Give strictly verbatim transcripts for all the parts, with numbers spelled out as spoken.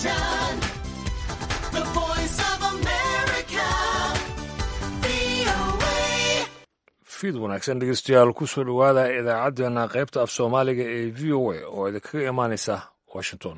Washington, the voice of America, V O A. Fiid wanaagsan, dhegeystayaal. Kusoo dhowaada idaacaddeenna qaybta af Soomaaliga ee V O A oo idinkaga imaanaysa Washington.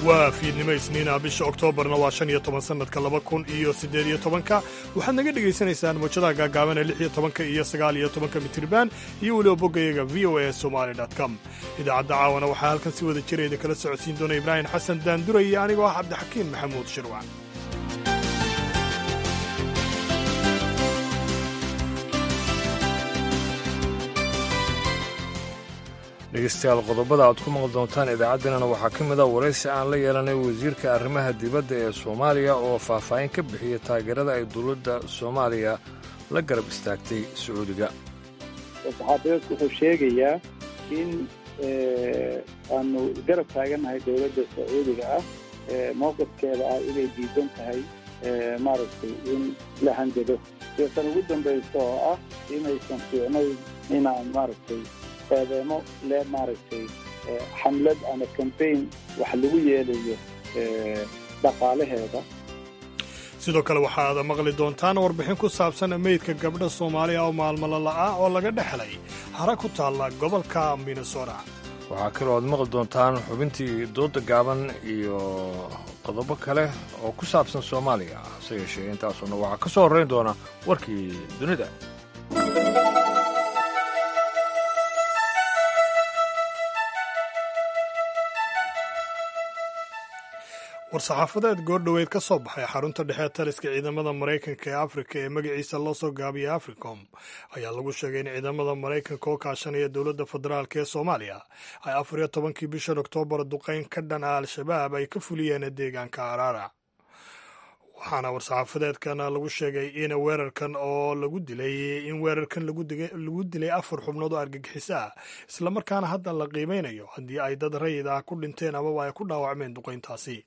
Waa fiidnimo Isniina, bisha Oktoobarna waa shan iyo toban, sannadka laba kun iyo siddeed iyo tobanka. Waxaad naga dhegaysanaysaan mowjadaha gaagaaban ee lix iyo tobanka iyo sagaal iyo tobanka mitriban iyo weliba boggayaga V O A somali com. Idaacadda caawana waxaa halkan si wada jira idinkala socodsiin doona Ibraahim Xasan Daanduray iyo anigoo ah Cabdixakiin Maxamuud Shirwac. Dhegeystayaal, qodobada aad ku maqli doontaan idaacaddeenana waxaa ka mid ah waraysi aan la yeelanay wasiirka arrimaha dibadda ee Soomaaliya oo faahfaahin ka bixiyey taageerada ay dowladda Soomaaliya la garab istaagtay Sacuudiga. Saxaafadeedku wuxuu sheegayaa in aanu garab taagannahay dowladda Sacuudiga ah, mowqifkeeda ah inay diidan tahay, maaragtay, in la hanjado, iyo tan ugu dambaysa oo ah inaysan fiicnayn inaan, maaragtay, eedeemo le, maaragtay, xamlad ama campaign wax lagu yeelayo dhaqaalaheeda. Sidoo kale waxaad maqli doontaan warbixin ku saabsan meydka gabdha Soomaaliya oo maalmo la'aa oo laga dhexlay hara ku taalla gobolka Minnesota. Waxaa kaloo aad maqli doontaan xubintii dooda gaaban iyo qodobo kale oo ku saabsan Soomaaliya. Hase yeeshee, intaasuna waxaa ka soo horrayn doona warkii dunida. War-saxaafadeed goordhoweyd ka soo baxay xarunta dhexe taliska ciidamada Maraykanka ee Afrika ee magaciisa loo soo gaabiyay Africom ayaa lagu sheegay in ciidamada Maraykanka oo kaashanaya dowladda federaalk ee Soomaaliya ay afar iyo tobankii bishan Oktoobar duqeyn ka dhan ah Al-Shabaab ay ka fuliyeen deegaanka Araara. Waxaana war-saxaafadeedkan lagu sheegay in weerarkan oo lagu dilay in weerarkan lagu dilay afar xubnood oo argagixiso ah, islamarkaana hadda la qiimeynayo haddii ay dad rayid ah ku dhinteen amaba ay ku dhaawacmeen duqeyntaasi.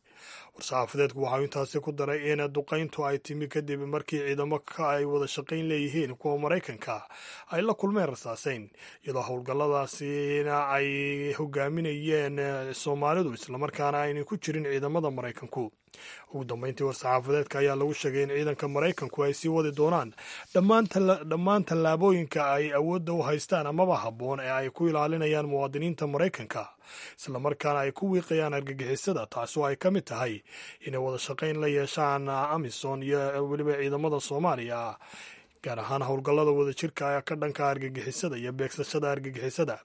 War-saxaafadeedku waxau intaasi ku daray in duqeyntu ay timi kadib markii ciidamo ka ay wada shaqayn leeyihiin kuwa Maraykanka ay la kulmeen rasaaseyn, iyadoo howlgalladaasina ay hogaaminayeen Soomaalidu, islamarkaana aynay ku jirin ciidamada Maraykanku. Ugu dambeyntii, war-saxaafadeedka ayaa lagu sheegay in ciidanka Maraykanku ay sii wadi doonaan dhammaan tallaabooyinka ay awoodda u haystaan amaba habboon ee ay ku ilaalinayaan muwaadiniinta Maraykanka, islamarkaana ay ku wiiqayaan argagixisada, taasoo ay ka mid tahay inay wada shaqayn la yeeshaan AMISOM iyo weliba ciidamada Soomaaliya, gaar ahaan howlgallada wadajirka ka dhanka argagixisada iyo beegsashada argagixisada,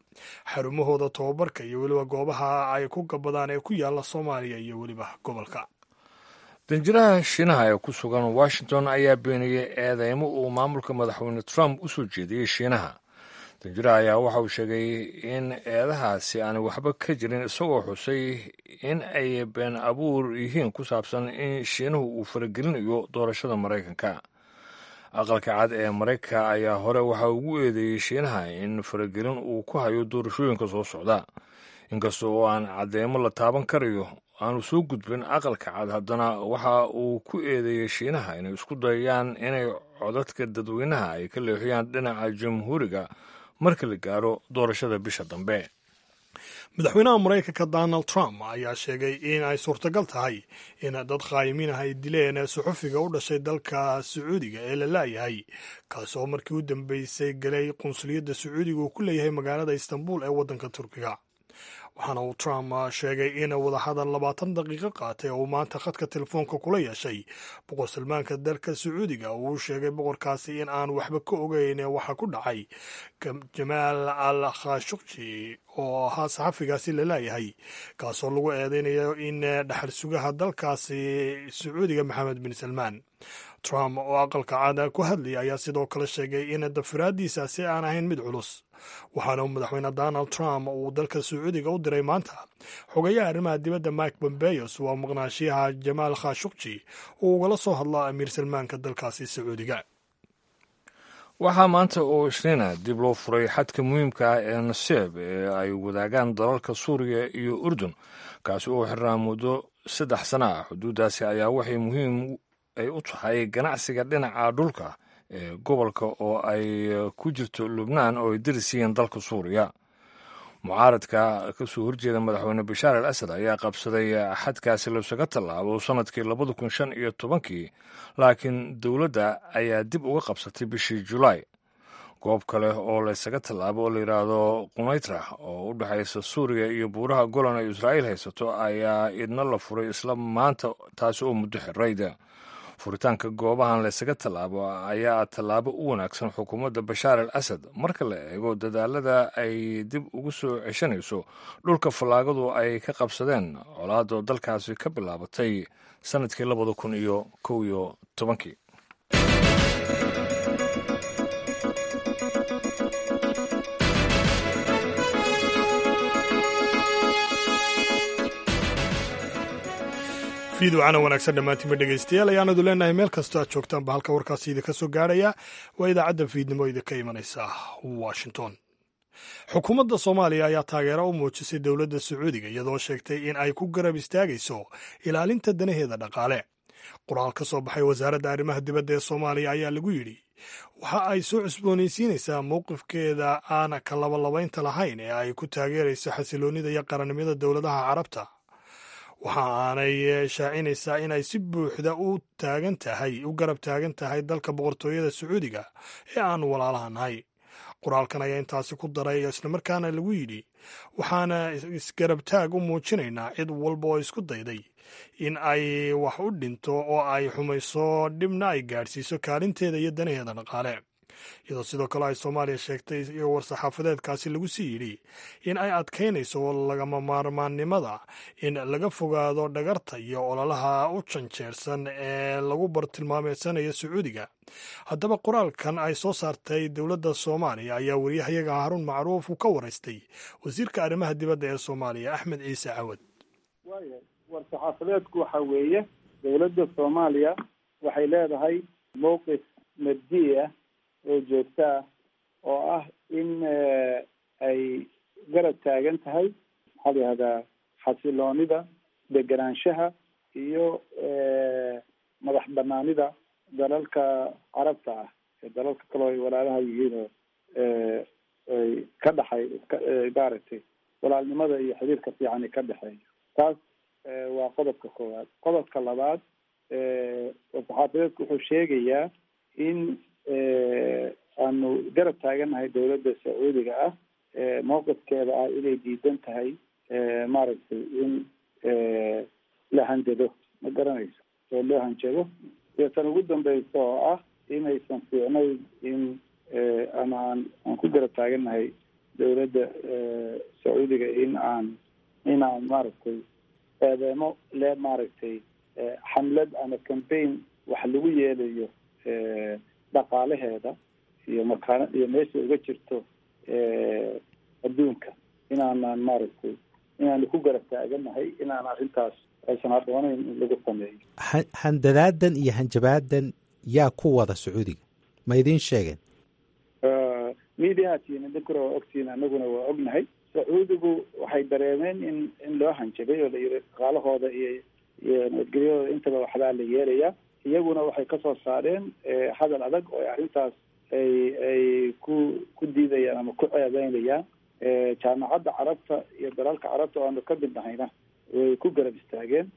xarumahooda tababarka iyo weliba goobaha ay ku gabadaan ee ku yaala Soomaaliya iyo weliba gobolka. Danjiraha Shiinaha ee ku sugan Washington ayaa beeniyey eedeymo uu maamulka Madaxweyne Trump u soo jeediyey Shiinaha. Danjiraha ayaa waxa uu sheegay in eedahaasi aanay waxba ka jirin, isagoo xusay in ay been abuur yihiin ku saabsan in Shiinuhu uu faragelinayo doorashada Maraykanka. Aqalka Cad ee Maraykanka ayaa hore waxa ugu eedeeyey Shiinaha in faragelin uu ku hayo doorashooyinka soo socda. Inkasta oo aan cadeymo la taaban karayo aanu soo gudbin Aqalka Cad, haddana waxa uu ku eedeeyey Shiinaha inay isku dayayaan inay codadka dadweynaha ay ka leexiyaan dhinaca Jamhuuriga marka la gaaro doorashada bisha dambe. Madaxweynaha Maraykanka Donald Trump ayaa sheegay in ay suurtagal tahay in dad khaayimiin ah ay dileen suxufiga u dhashay dalka Sacuudiga ee la laayahay, kaas oo markii u dambeysay galay qunsuliyadda Sacuudiga uu ku leeyahay magaalada Istanbul ee waddanka Turkiga. Waxaana uu Trump sheegay in wadahadal labaatan daqiiqo qaatay oo uu maanta khadka telefoonka kula yeeshay Boqor Salmaanka dalka Sacuudiga uu sheegay boqorkaasi in aan waxba ka ogeyn waxa ku dhacay Jamaal al Khashuqji oo ahaa saxafigaasi la laayahay, kaasoo lagu eedeynayo in dhaxal sugaha dalkaasi Sacuudiga Maxamed bin Salmaan. Trump oo Aqalka Cada ku hadlayay ayaa sidoo kale sheegay in dafiraaddiisaasi aan ahayn mid culus. Waxaana uu Madaxweyne Donald Trump uu dalka Sacuudiga u diray maanta xogayaha arrimaha dibadda Mike Pompeo waa maqnaashiyaha Jamaal Khashuqji uu ugala soo hadla Amiir Salmaanka dalkaasi Sacuudiga. Waxaa maanta oo Isniina dib loo furay xadka muhiimka ah ee Naseeb ee ay wadaagaan dalalka Suuriya iyo Urdun, kaasi oo xirnaa muddo saddex sana ah. Xuduuddaasi ayaa waxay muhiim ay u tahay ganacsiga dhinaca dhulka ee gobolka oo ay ku jirto Lubnaan oo ay deris yihiin dalka Suuriya. Mucaaradka ka soo horjeeda madaxweyne Bashaar al Asad ayaa qabsaday xadkaasi laysaga tallaabo sanadkii labada kun shan iyo tobankii, laakiin dowladda ayaa dib uga qabsatay bishii Julaay. Goob kale oo laysaga tallaabo oo la yidhaahdo Qunaytra oo u dhexaysa Suuriya iyo buuraha Golan ay Israa'iil haysato ayaa idna la furay isla maanta, taasi oo muddo xirayda. Furitaanka goobahan laysaga tallaabo ayaa tallaabo u wanaagsan xukuumadda Bashaar al Asad marka la eego dadaalada ay dib ugu soo ceshanayso dhulka fallaagadu ay ka qabsadeen colaadoo dalkaasi ka bilaabatay sanadkii labada kun iyo kow iyo tobankii. Fiidwacana wanaagsan dhammaantiinba dhegaystayaal ayaanadu leenahay meel kastoo aad joogtaanba. Halka warkaasi idinka soo gaarhaya waa idaacadda fiidnimo idinka imanaysa Washington. Xukuumadda Soomaaliya ayaa taageero u muujisay dowladda Sacuudiga, iyadoo sheegtay in ay ku garab istaagayso ilaalinta danaheeda dhaqaale. Qoraal ka soo baxay wasaaradda arrimaha dibadda ee Soomaaliya ayaa lagu yidhi waxa ay soo cusboonaysiinaysaa mowqifkeeda aan ka labalabaynta lahayn ee ay ku taageerayso xasiloonnida iyo qarannimada dowladaha Carabta. Waxa aanay shaacinaysaa in ay si buuxda u taagan tahay u garab taagan tahay dalka Boqortooyada Sacuudiga ee aan walaalaha nahay. Qoraalkan ayaa intaasi ku daray, islamarkaana lagu yidhi, waxaana isgarab taag u muujinaynaa cid walba oo isku dayday in ay wax u dhinto oo ay xumayso, dhibna ay gaadhsiiso kaalinteeda iyo danaheeda dhaqaale. Iyadoo sidoo kale ay Soomaaliya sheegtay iyo war-saxaafadeedkaasi lagu sii yidhi in ay adkaynayso lagama maarmaannimada in laga fogaado dhagarta iyo ololaha u janjeersan ee lagu bartilmaameedsanayo Sacuudiga. Haddaba qoraalkan ay soo saartay dowladda Soomaaliya ayaa wariyahayaga Haruun Macruuf uu ka waraystay wasiirka arrimaha dibadda ee Soomaaliya, Axmed Ciise Cawad. Waaya, war-saxaafadeedku waxa weeye dowladda Soomaaliya waxay leedahay mowqif mabdi ah oo joogto ah oo ah in ay garab taagan tahay, maxaa la yihahdaa, xasiloonida, degenaanshaha iyo madax banaanida dalalka Carabta ah ee dalalka kaleo ay walaalaha yihiin oo ay ka dhexay maaragtay walaalnimada iyo xiriirka fiican ka dhexeeyo. Taas waa qodobka koowaad. Qodobka labaad, war-saxaafadeedku wuxuu sheegayaa in aanu garab taagannahay dowladda Sacuudiga ah mowqifkeeda ah inay diidan tahay maaragtay in la hanjado, ma garanayso, oo loo hanjado, iyo tan ugu dambeysa oo ah inaysan fiicnayn in ama aan aan ku garab taagannahay dowladda Sacuudiga in aan in aan maaragtay eedeemo le maaragtay xamlad ama campaign wax lagu yeelayo dhaqaalaheeda iyo makaan iyo meesha uga jirto adduunka, inaanaan maaragtay inaanu ku garab taagannahay inaan arrintaas aysan habboonayn in lagu sameeyo. Handadaadan iyo hanjabaadan yaa ku wada Sacuudiga, ma idiin sheegeen? Mediahatiin idinkuna waa ogtihiin, annaguna waa ognahay. Sacuudigu waxay dareemeen in in loo hanjabay oo la yiri dhaqaalahooda iyo iyo nabadgelyadooda intaba waxbaa la yeelayaa. Iyaguna waxay kasoo saareen hadal adag oo arrintaas ay ay ku ku diidayaan ama ku ceebeynayaan. Jaamacadda Carabta iyo dalalka Carabta oo aanu ka mid nahayna way ku garab istaageen,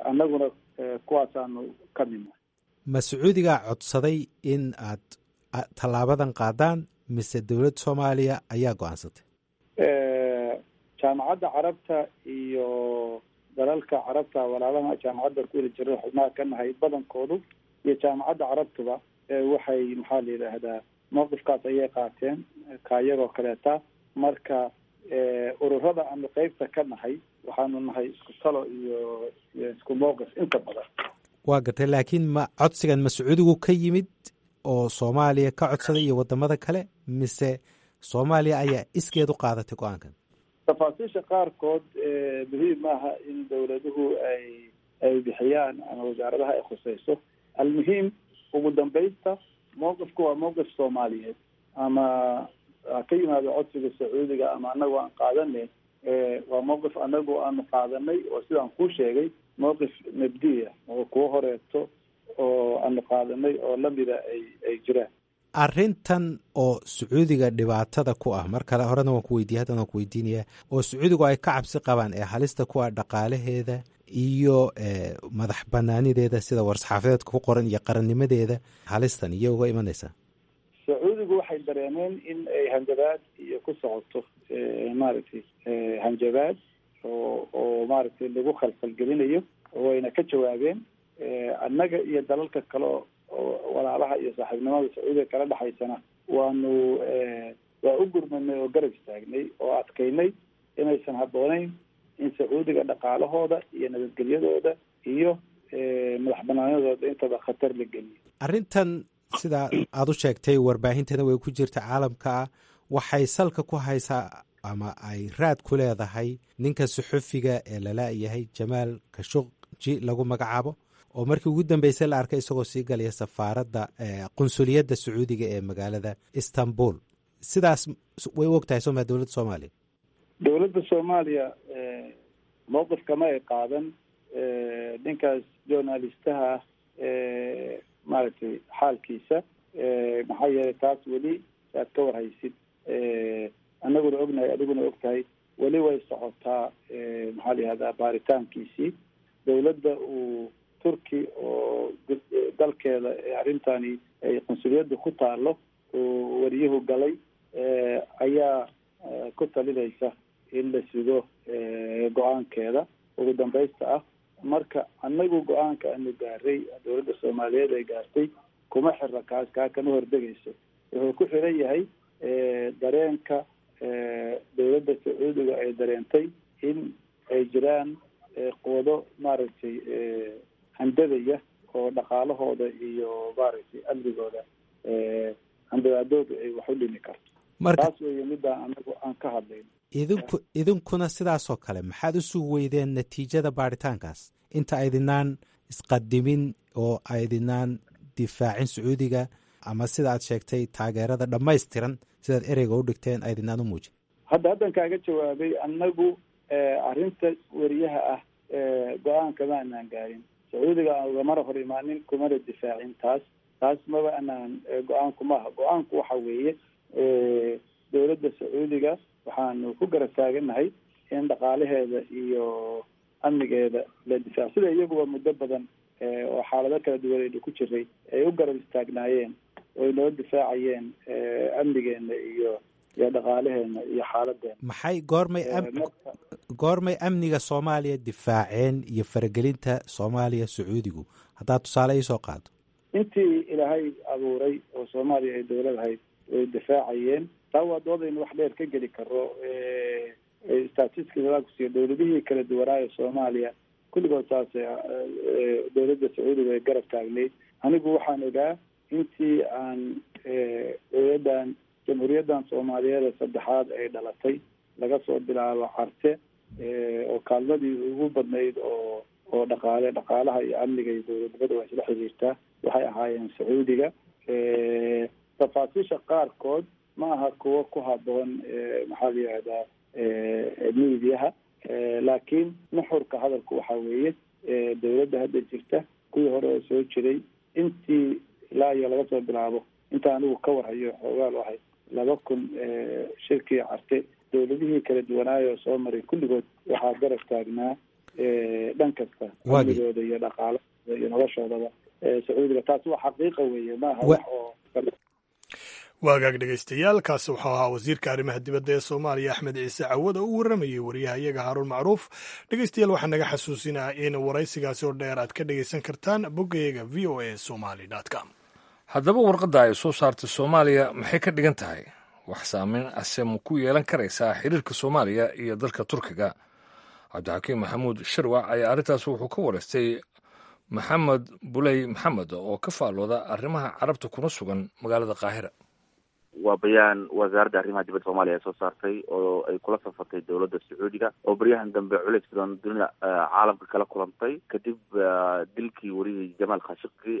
annaguna kuwaasaanu ka midnahay. Ma Sacuudigaa codsaday in aad tallaabadan qaadaan mise dowladda Soomaaliya ayaa go-aansatay? Jaamacadda Carabta iyo dalalka Carabta walaalaha jaamacadda ku weli jira xubnaha ka nahay badankoodu iyo jaamacadda Carabtuba waxay, maxaa la yidhaahdaa, mowqifkaas ayay qaateen kaayagoo kaleeta. Marka ururada aanu qeybta ka nahay waxaanu nahay isku talo iyo iyo isku mowqif inta badan. Waa gartay, laakiin ma codsigan ma Sacuudigu ka yimid oo Soomaaliya ka codsaday iyo wadamada kale, mise Soomaaliya ayaa iskeed u qaadatay go-aankan? Tafaasiisha qaarkood muhiim maaha in dowladuhu ay ay bixiyaan ama wasaaradaha ay khuseyso. Almuhiim, ugu dambaysta mowqifku waa mowqif Soomaaliyeed, ama ha ka yimaado codsiga Sacuudiga ama anagu aan qaadanay, waa mowqif anagu aanu qaadanay oo sidaan kuu sheegay mowqif mabdiya oo kuwa horeeto. oo aanu qaadanay oo lamida ay ay jiraan. Arrintan oo Sacuudiga dhibaatada ku ah, mar kale horena waan ku weydiiyey, haddana waan ku weydiinayaa, oo Sacuudigu ay ka cabsi qabaan ee halista ku ah dhaqaalaheeda iyo madax banaanideeda sida war-saxaafadeedka ku qoran iyo qarannimadeeda, halistan iyo uga imanaysaa? Sacuudigu waxay dareemeen in ay hanjabaad iyo ku socoto, maaragtay, hanjabaad oo oo maaragtay lagu khalkhalgelinayo, wayna ka jawaabeen. Annaga iyo dalalka kale oo walaalaha iyo saaxiibnimada Sacuudiga kala dhexaysana waanu waa u gurmanay oo garab istaagnay oo adkaynay inaysan habboonayn in Sacuudiga dhaqaalahooda iyo nabadgelyadooda iyo madax banaanadooda intaba khatar la geliyo. Arrintan sidaa aada u sheegtay, warbaahintana way ku jirta caalamka ah, waxay salka ku haysaa ama ay raad ku leedahay ninka suxufiga ee lala-yahay, Jamaal Kashuqji lagu magacaabo, oo markii ugu dambeysay la arkay isagoo sii galaya safaaradda, qunsuliyadda Sacuudiga ee magaalada Istanbul. Sidaas way u og tahay soma dowladda Soomaaliya? Dowladda Soomaaliya mowqifkama ay qaadan ninkaas journalistaha maaragtay xaalkiisa, maxaa yeelay taas weli aad ka warhaysid, annaguna ognahay, adiguna og tahay, weli way socotaa, maxaa la yihahdaa, baaritaankiisii. Dowladda uu Turki oo dalkeeda arrintani ay qunsuliyadda ku taalo uu wariyuhu galay ayaa ku talinaysa in la sugo go-aankeeda ugu dambaysta ah. Marka annagu go-aanka aanu gaaray, dowladda Soomaaliyeed ay gaartay, kuma xira kaas, kaa kama hordegayso. Wuxuu ku xiran yahay dareenka dowladda Sacuudiga ay dareentay in ay jiraan quwado maaragtay handadaya oo dhaqaalahooda iyo maaragtay amnigooda handadaadooda ay wax u dhimi karto. Taas weeye midaan anagu aan ka hadlayno. Idinku idinkuna sidaasoo kale maxaad u sugi weydeen natiijada baaritaankaas inta aydinaan isqadimin oo aydinaan difaacin Sacuudiga, ama sida aad sheegtay taageerada dhammaystiran sidaad ereyga u dhigteen aydinaan u muujin? Hadda haddan kaaga jawaabay. Annagu arrinta weriyaha ah go-aanka ma anaan gaarin, Sacuudiga aan ugamana hor imaanin, kumana difaacin taas. Taas maba anaan go-aanku maaha. Go-aanku waxa weeye dowladda Sacuudiga waxaanu ku garab taagannahay in dhaqaalaheeda iyo amnigeeda la difaaco, sida iyaguba muddo badan oo xaalado kala duwan aynu ku jiray ay u garab istaagnaayeen oo ay noo difaacayeen amnigeena iyo iyo dhaqaalaheena iyo xaaladeena. Maxay goormay goormay amniga Soomaaliya difaaceen iyo faragelinta Soomaaliya Sacuudigu, haddaad tusaale iisoo qaado? Intii Ilaahay abuuray oo Soomaaliya ay dowlad ahayd way difaacayeen. Taa waa doodaynu wax dheer ka geli karo. Statistics kusiiyo, dowladihii kala duwanaayo Soomaaliya kulligood saas dowladda Sacuudiga ay garab taagnayd. Anigu waxaan ogaa intii aan dowladdan Jamhuuriyaddan Soomaaliyeed ee saddexaad ay dhalatay, laga soo bilaabo Carte, oo kaalmadii ugu badnayd oo oo dhaqaale, dhaqaalaha iyo amniga iyo dowladnimada waa isla xiriirtaa, waxay ahaayeen Sacuudiga. Tafaasiisha qaarkood ma aha kuwo ku haboon, maxaa la yihahdaa, miidiyaha, laakiin nuxurka hadalku waxa weeye dowladda hadda jirta, kuwii hore oo soo jiray, intii ilaa iyo laga soo bilaabo inta anigu ka warhayo xoogaal ahay laba kun shirkii Carte, dowladihii kala duwanaayo soo maray kulligood waxaa garab taagnaa dhan kasta, amnigooda iyo dhaqaalahooda iyo noloshoodaba, Sacuudiga. Taasi waa xaqiiqa weeye, maaha wax oo Waagaag dhegaystayaal, kaasi wuxuu ahaa wasiirka arrimaha dibadda ee Soomaaliya Axmed Ciise Cawad oo u warramayey wariyaha iyaga Haaruun Macruuf. Dhegaystayaal, waxaa naga xasuusinaa in waraysigaasi oo dheer aad ka dhegaysan kartaan boggayaga V O A Somali com. Haddaba warqadda ay soo saartay Soomaaliya maxay ka dhigan tahay? Wax saameyn ase ma ku yeelan karaysaa xiriirka Soomaaliya iyo dalka Turkiga? Cabdixakiim Maxamuud Shirwac ayaa arrintaas wuxuu ka waraystay Maxamed Buley Maxamed oo ka faallooda arrimaha Carabta kuna sugan magaalada Qaahira. Waa bayaan wasaaradda arrimaha dibadda Soomaaliya ay soo saartay oo ay kula safartay dowladda Sacuudiga oo baryahan dambe culays badan dunida caalamka kala kulantay kadib dilkii wariyihii Jamaal Khashoggi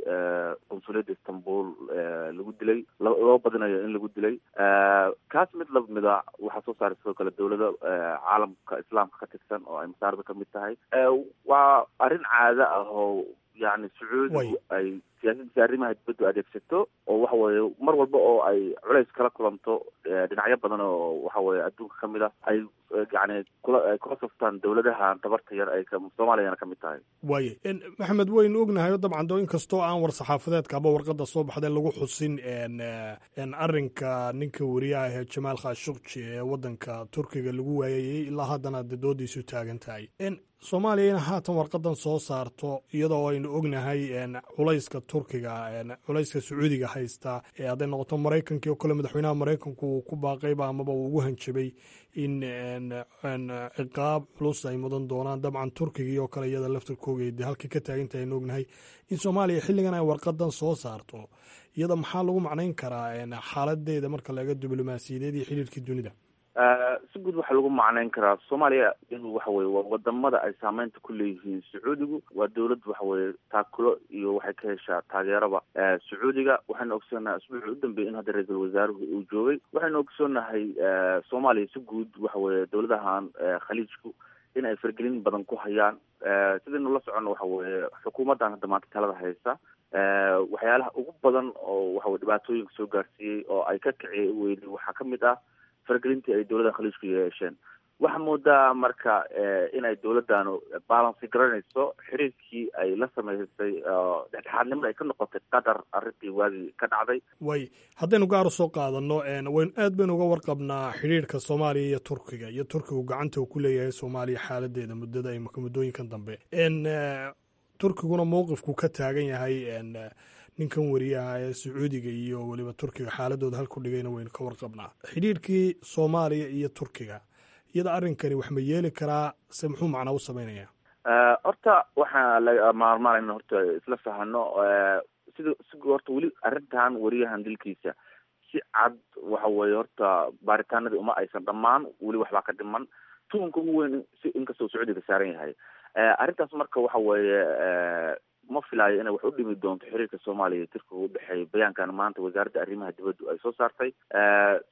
qunsuliyadda Istanbul lagu dilay, loo badinayo in lagu dilay. Kaas mid lamida waxaa soo saaray sidoo kale dowlado caalamka Islaamka ka tirsan oo ay Masaarada kamid tahay. Waa arrin caado ah oo yani Sacuudigu ay siyaasadiisa arrimaha dibaddu adeegsato oo waxa weeye mar walba oo ay culays kala kulanto dhinacyo badan oo waxa weye adduunka ka mid ah ay yani kula ay kula saftaan dowladaha tabarta yar ay soomaaliyana ka mid tahay. Waaye Maxamed, waynu ognahay dabcan do inkastoo aan war saxaafadeedka aba warqada soo baxday lagu xusin arrinka ninka wariyaha ahee Jamaal Khashoggi ee waddanka Turkiga lagu waayayey, ilaa haddana de doodiisu taagan tahay. Soomaaliya ina haatan warqadan soo saarto iyadoo aynu ognahay culayska Turkiga, culayska Sacuudiga haysta, hadday noqoto Maraykankii oo kale, madaxweynaha Maraykanku uu ku baaqayba amaba uu ugu hanjabay in ciqaab culus ay mudan doonaan. Dabcan Turkigii oo kale iyada laftarkooga de halkay ka taagantahay aynu ognahay. In Soomaaliya xilligan ay warqadan soo saarto, iyada maxaa lagu macnayn karaa xaaladeeda marka laga diblomaasiyadeed iyo xiriirkii dunida? Si guud waxaa lagu macnayn karaa Soomaaliya iyadu waxa weye waa wadamada ay saameynta ku leeyihiin Sacuudigu. Waa dowlad waxa weye taakulo iyo waxay ka heshaa taageeraba Sacuudiga. Waxaynu ogsoonahay asbuucii u dambeeyay in hadda ra-iisul wasaaruhu uu joogay. Waxaynu ogsoonahay Soomaaliya si guud waxa weye dowladahan Khaliijku in ay fargelin badan ku hayaan. Sidaynu la soconno waxa weye xukuumaddan hadda maanta talada haysa waxyaalaha ugu badan oo waxa weye dhibaatooyinka soo gaarsiiyey oo ay ka kiciy weyday waxaa ka mid ah fargelintii ay dowladda Khaliijku yeesheen. Waxaa moodaa marka inay dowladdanu balancy garanayso xiriirkii ay la sameysay, dhexdhexaadnimada ay ka noqotay Qatar arrintii waagii ka dhacday. Way haddaynu gaar u soo qaadano, waynu aad baynu uga warqabnaa xidhiirka Soomaaliya iyo Turkiga iyo Turkigu gacanta uu ku leeyahay Soomaaliya xaaladeeda muddada imika muddooyinkan dambe. Turkiguna mowqifku ka taagan yahay ninkan wariyaha ee Sacuudiga iyo weliba Turkiga xaaladooda halku dhigayna waynu ka warqabnaa. Xidhiirkii Soomaaliya iyo Turkiga, iyada arrinkani wax ma yeeli karaa se muxuu macnaa u samaynayaa? Horta waxaa laga maarmaan in horta isla fahano sida si horta weli arrintan wariyahan dilkiisa si cad waxa weeye horta baaritaanadii uma aysan dhammaan, weli waxbaa ka dhiman tuunka ugu weyn si inkastoo Sacuudiga saaran yahay arrintaas. Marka waxa weeye ma filaayo inay wax u dhimi doonto xiriirka Soomaaliya iyo Turkiga u dhexeeya bayaankan maanta wasaaradda arrimaha dibaddu ay soo saartay.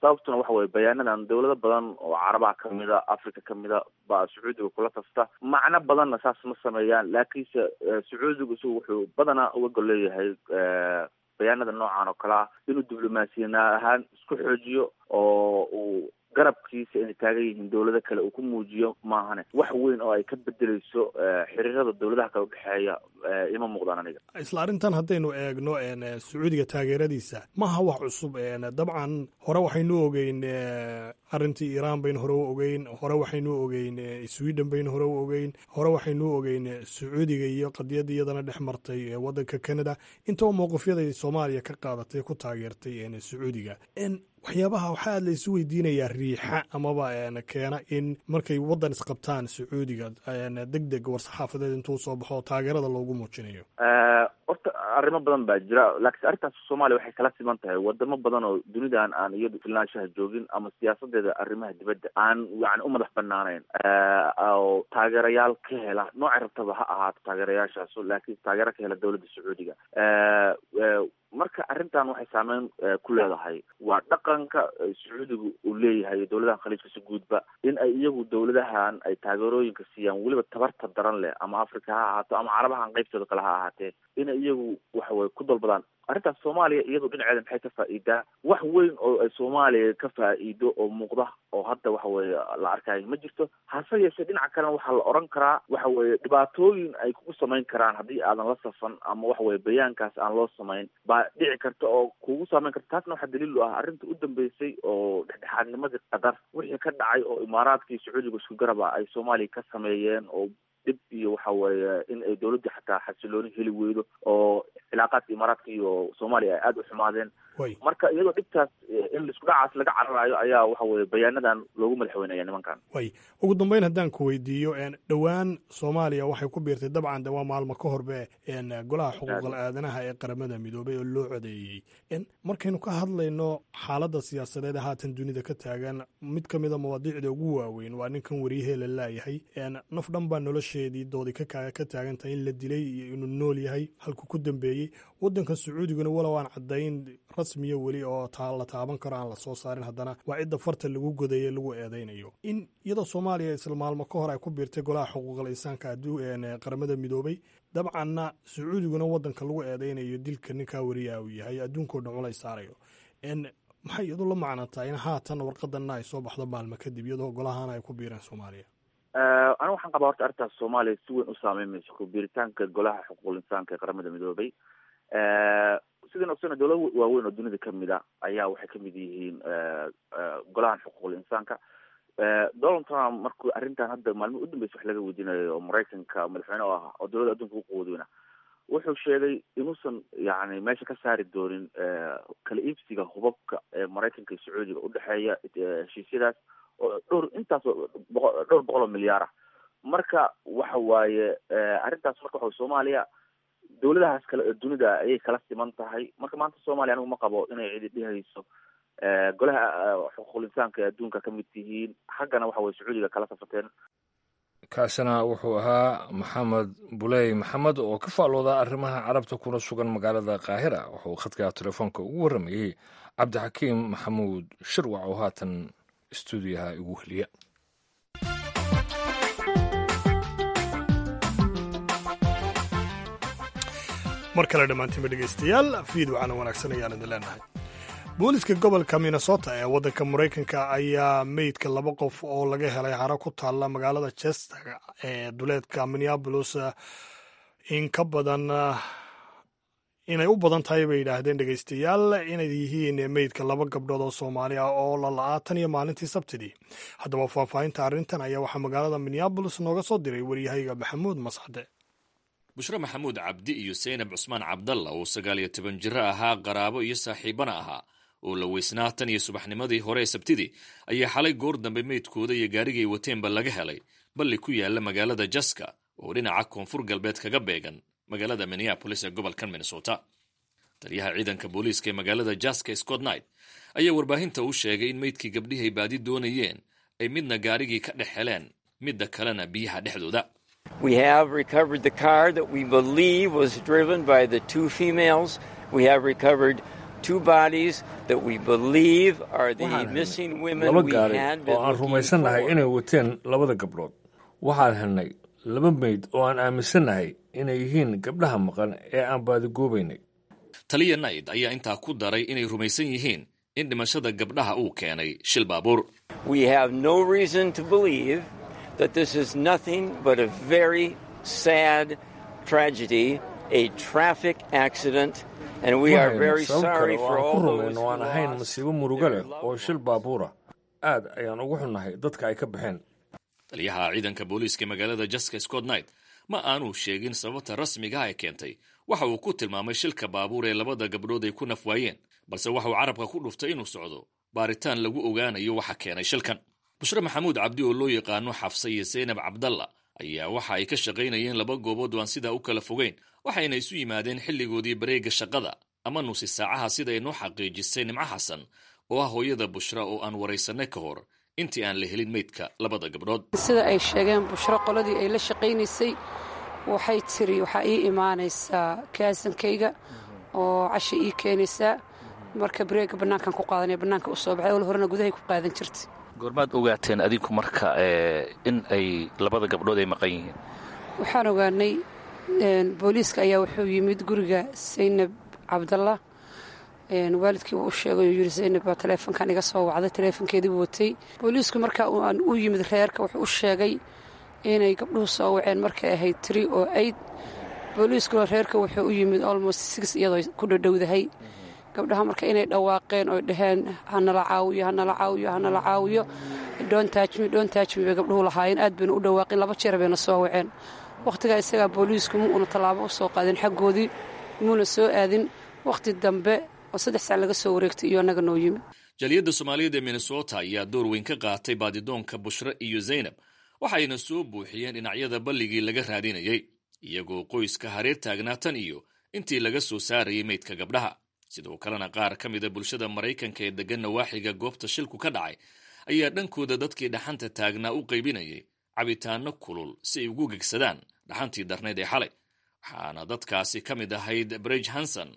Sababtuna waxa weye bayaanadan dowlado badan oo Carabaha kamida, Africa kamida baa Sacuudiga kula tafta, macno badanna saas ma sameeyaan. Laakiinse Sacuudigu isagu wuxuu badanaa uga gol leeyahay bayaanada noocan oo kale ah inuu diblomaasiyan ahaan isku xoojiyo oo uu garabkiisa inay taagan yihiin dowlado kale uu ku muujiyo maahane, wax weyn oo ay ka bedeleyso xiriirada dowladaha kale udhexeeya ima muuqdaan aniga. Isla arrintan haddaynu eegno, Sacuudiga taageeradiisa maaha wax cusub. Dabcan hore waxaynu ogeyn arrintii Iiraan baynu hore u ogeyn, hore waxaynu ogeyn Sweden baynu hore u ogeyn, hore waxaynu ogeyn Sacuudiga iyo qadiyadda iyadana dhex martay waddanka Canada. Intaba mowqifyaday Soomaaliya ka qaadatay ku taageertay Sacuudiga. Waxyaabaha waxaa la isu weydiinayaa riixa amaba keena in markay waddan isqabtaan Sacuudiga deg deg war-saxaafadeed intuu soo baxo taageerada loogu muujinayo. Horta arrimo badan baa jira, laakiin arrintaas Soomaaliya waxay kala siman tahay wadamo badan oo dunidan aan iyadu filnaanshaha joogin ama siyaasadeeda arrimaha dibadda aan yani u madax banaanayn oo taageerayaal ka hela noocay rabtaba ha ahaato taageerayaashaasu, laakiin taageero ka hela dowladda Sacuudiga. Marka arrintan waxay saameyn ku leedahay waa dhaqanka Sacuudigu uu leeyahay dowladahan Khaliijka si guudba in ay iyagu dowladahan ay taageerooyinka siiyaan, weliba tabarta daran leh, ama Africa ha ahaato ama Carabahan qaybtooda kale ha ahaatee, inay iyagu waxa weye ku dalbadaan arrintaas. Soomaaliya iyadu dhinaceeda maxay ka faa'iidaa? Wax weyn oo ay Soomaaliya ka faa'iido oo muuqda oo hadda waxa weeye la arkayo ma jirto. Hase yeeshee dhinaca kalena waxaa la oran karaa waxa weeye dhibaatooyin ay kugu samayn karaan haddii aadan la safan ama waxa weye bayaankaas aan loo samayn baa dhici karta oo kugu samayn karta. Taasna waxaa daliil u ah arrinta u dambeysay oo dhexdhexaadnimadii Qatar wixii ka dhacay oo Imaaraadka iyo Sacuudiga isku garaba ay Soomaaliya ka sameeyeen oo dhib iyo waxa weeye in ay dowladdu xataa xasilooni heli weydo oo cilaaqaadka Imaaraadka iyo Soomaaliya ay aada u xumaadeen. Marka iyadoo dhibtaas in isku dhacaas laga cararayo ayaa waxa weye bayaanadan loogu madaxweynaya nimankan. Way ugu dambeyn haddaan ku weydiiyo, dhowaan Soomaaliya waxay ku biirtay, dabcan de waa maalmo ka horbe, Golaha Xuquuqal Aadanaha ee Qaramada Midoobay oo loo codeeyey. Markaynu ka hadlayno xaaladda siyaasadeed ee haatan dunida ka taagan, mid ka mida mawaadiicda ugu waaweyn waa ninkan wariyahee la laayahay. Naf dhan baa nolosheedii doodi ka ka taagan tahay in la dilay iyo inuu nool yahay, halkuu ku dambeeyey. Waddanka Sacuudiguna walow aan caddayn rasmiya weli oo taa la taaban karo aan la soo saarin, haddana waa cidda farta lagu godaye lagu eedeynayo in iyadoo Soomaaliya isla maalmo ka hor ay ku biirtay Golaha Xuquuqal Insaanka Qaramada Midoobay, dabcanna Sacuudiguna waddanka lagu eedeynayo dilka ninkaa weriyaa uu yahay, adduunkao dhan culays saarayo, maxay iyadu la macnataa in haatan warqadanna ay soo baxdo maalmo kadib iyadoo golahaana ay ku biireen Soomaaliya? Anigu waxaan qabaa horta arrintaas Soomaaliya si weyn u saameyn mayso ku biiritaanka Golaha Xuquuqul Insaanka ee Qaramada Midoobay. Sidaan ogsana, dowlado waaweyn oo dunida kamid a ayaa waxay kamid yihiin Golahan Xuquuqul Insaanka. Donald Trump markuu arrintan hadda maalmihi udambeysa wax laga weydiinayo, oo Maraykanka madaxweyne oo ah oo dowladda adduunka ugu quwad weyna, wuxuu sheegay inuusan yani meesha ka saari doonin kala iibsiga hubabka ee Maraykanka iyo Sacuudiga udhexeeya, heshiisyadaas oo dhowr intaas boqo dhowr boqol oo milyaar ah. Marka waxa waaye arrintaas, marka waxa Soomaaliya dowladahaas kale ee dunida ayay kala siman tahay. Marka maanta Soomaaliya anigu ma qabo inay cidi dhihayso Golaha Xuquuqul Insaanka ee adduunka kamid tihiin, xaggana waxa weye Sacuudiga kala safateen. Kaasina wuxuu ahaa Maxamed Buley Maxamed oo ka faalooda arrimaha Carabta kuna sugan magaalada Qaahira. Wuxuu khadka telefoonka ugu warramayey Cabdixakiim Maxamuud Shirwac oo haatan istuudiyaha igu heliya. Mar kale dhammaantiinba dhegaystayaal, fiid wacana wanaagsan ayaan idin leenahay. Booliska gobolka Minnesota ee waddanka Maraykanka ayaa meydka laba qof oo laga helay haro ku taalla magaalada Chester ee duleedka Minneapolis in ka badan inay u badan tahay bay yidhaahdeen, dhegaystayaal, inay yihiin meydka laba gabdhood oo Soomaali ah oo la la'aa tan iyo maalintii Sabtidii. Haddaba faahfaahinta arrintan ayaa waxaa magaalada Minneapolis nooga soo diray waryahayga Maxamuud Mascade. Bushre Maxamuud Cabdi iyo Saynab Cusmaan Cabdalla oo sagaal iyo toban jiro ahaa, qaraabo iyo saaxiibana ahaa, oo la weysnaa tan iyo subaxnimadii hore ee Sabtidii, ayaa xalay goor dambe meydkooda iyo gaarigay wateenba laga helay balli ku yaala magaalada Jaska oo dhinaca koonfur galbeed kaga beegan magaalada Minneapolis ee gobolkan Minnesota. Taliyaha ciidanka booliiska ee magaalada Jaska, Scott Knight, ayaa warbaahinta u sheegay in meydkii gabdhihay baadi doonayeen ay midna gaarigii ka dhex heleen, midda kalena biyaha dhexdooda. We have recovered the car that we believe was driven by the two females. We have recovered two bodies that we believe are the missing women laba we gaari had oo been aan looking rumaysannahay for. inay wateen labada gabdhood. Waxaan helnay laba meyd oo aan aaminsannahay inay yihiin gabdhaha maqan ee aan baadigoobaynay. Taliya Knight ayaa intaa ku daray inay rumaysan yihiin in dhimashada gabdhaha uu keenay shil baabuur. We have no reason to believe that this is nothing but a very sad tragedy, a traffic accident, and we Ma are hayno very sabab kale sorry oo for aan ku all those rumayno who aan ahayn lost masiibo murugo their leh oo loved shil ones. baabuura. Aad ayaan ugu xunnahay dadka ay ka baxeen. Taliyaha ciidanka booliiska ee magaalada Jaska, Scott Knight, ma aanuu sheegin sababta rasmiga ah ee keentay waxa uu ku tilmaamay shilka baabuur ee labada gabdhood ay ku nafwaayeen, balse waxa uu carabka ku dhuftay inuu socdo baaritaan lagu ogaanayo waxa keenay shilkan. Bushre Maxamuud Cabdi oo loo yaqaano Xafse iyo Saynab Cabdalla ayaa waxa ay ka shaqaynayeen laba goobood oo aan sidaa u kala fogeyn, waxayna isu yimaadeen xilligoodii bareega shaqada ama nusi saacaha, sida ay noo xaqiijisay Nimco Xasan oo ah hooyada Bushra oo aan waraysanay ka hor intii aan la helin meydka labada gabdhood. Sida ay sheegeen, Bushro qoladii ay la shaqaynaysay waxay tiri, waxaa ii imaanaysaa kaasankayga oo casha ii keenaysaa, marka bareega bannaankan ku qaadanaya, bannaanka u soo baxay. Ol horena gudahay ku qaadan jirtay. Goormaad ogaateen adinku marka ee, in ay labada gabdhood ay maqan yihiin? Waxaan ogaanay een, booliiska ayaa wuxuu yimid guriga Saynab Cabdalla. een, waalidkii wuu u sheegay oo yidhi, Saynab baa taleefonkan iga soo wacday, taleefonkeedii buu watay. Booliisku marka uu aan u yimid reerka wuxuu u sheegay inay gabdhuhu soo waceen markay ahayd three o eight. Booliiskuna reerka wuxuu u yimid almost six iyadoo ku dhadhowdahay. Gabdhaha marka inay dhawaaqeen oo dhaheen, "Hanala caawiyo, hanala caawiyo, hanala caawiyo, don't touch me, don't touch me," bay gabdhuhu lahaayeen. Aad bayna u dhawaaqeen, laba jeer bayna soo waceen. Wakhtigaa isagaa booliisku mu una tallaabo u soo qaadin xaggoodii, muuna soo aadin. Wakhti dambe oo saddex sac laga soo wareegtay iyo annaga noo yimid. Jaaliyadda Soomaaliyeed ee Minnesota ayaa door weyn ka qaatay baadidoonka Bushre iyo Zaynab, waxayna soo buuxiyeen dhinacyada balligii laga raadinayay, iyagoo qoyska hareer taagnaa tan iyo intii laga soo saarayay meydka gabdhaha. Sidoo kalena qaar ka mida bulshada Maraykanka ee deggan nawaaxiga goobta shilku ka dhacay ayaa dhankooda dadkii dhaxanta taagnaa u qaybinayay cabitaanno kulul si ay ugu gegsadaan dhaxantii darnayd ee xalay. Waxaana dadkaasi ka mid ahayd Bridge Hanson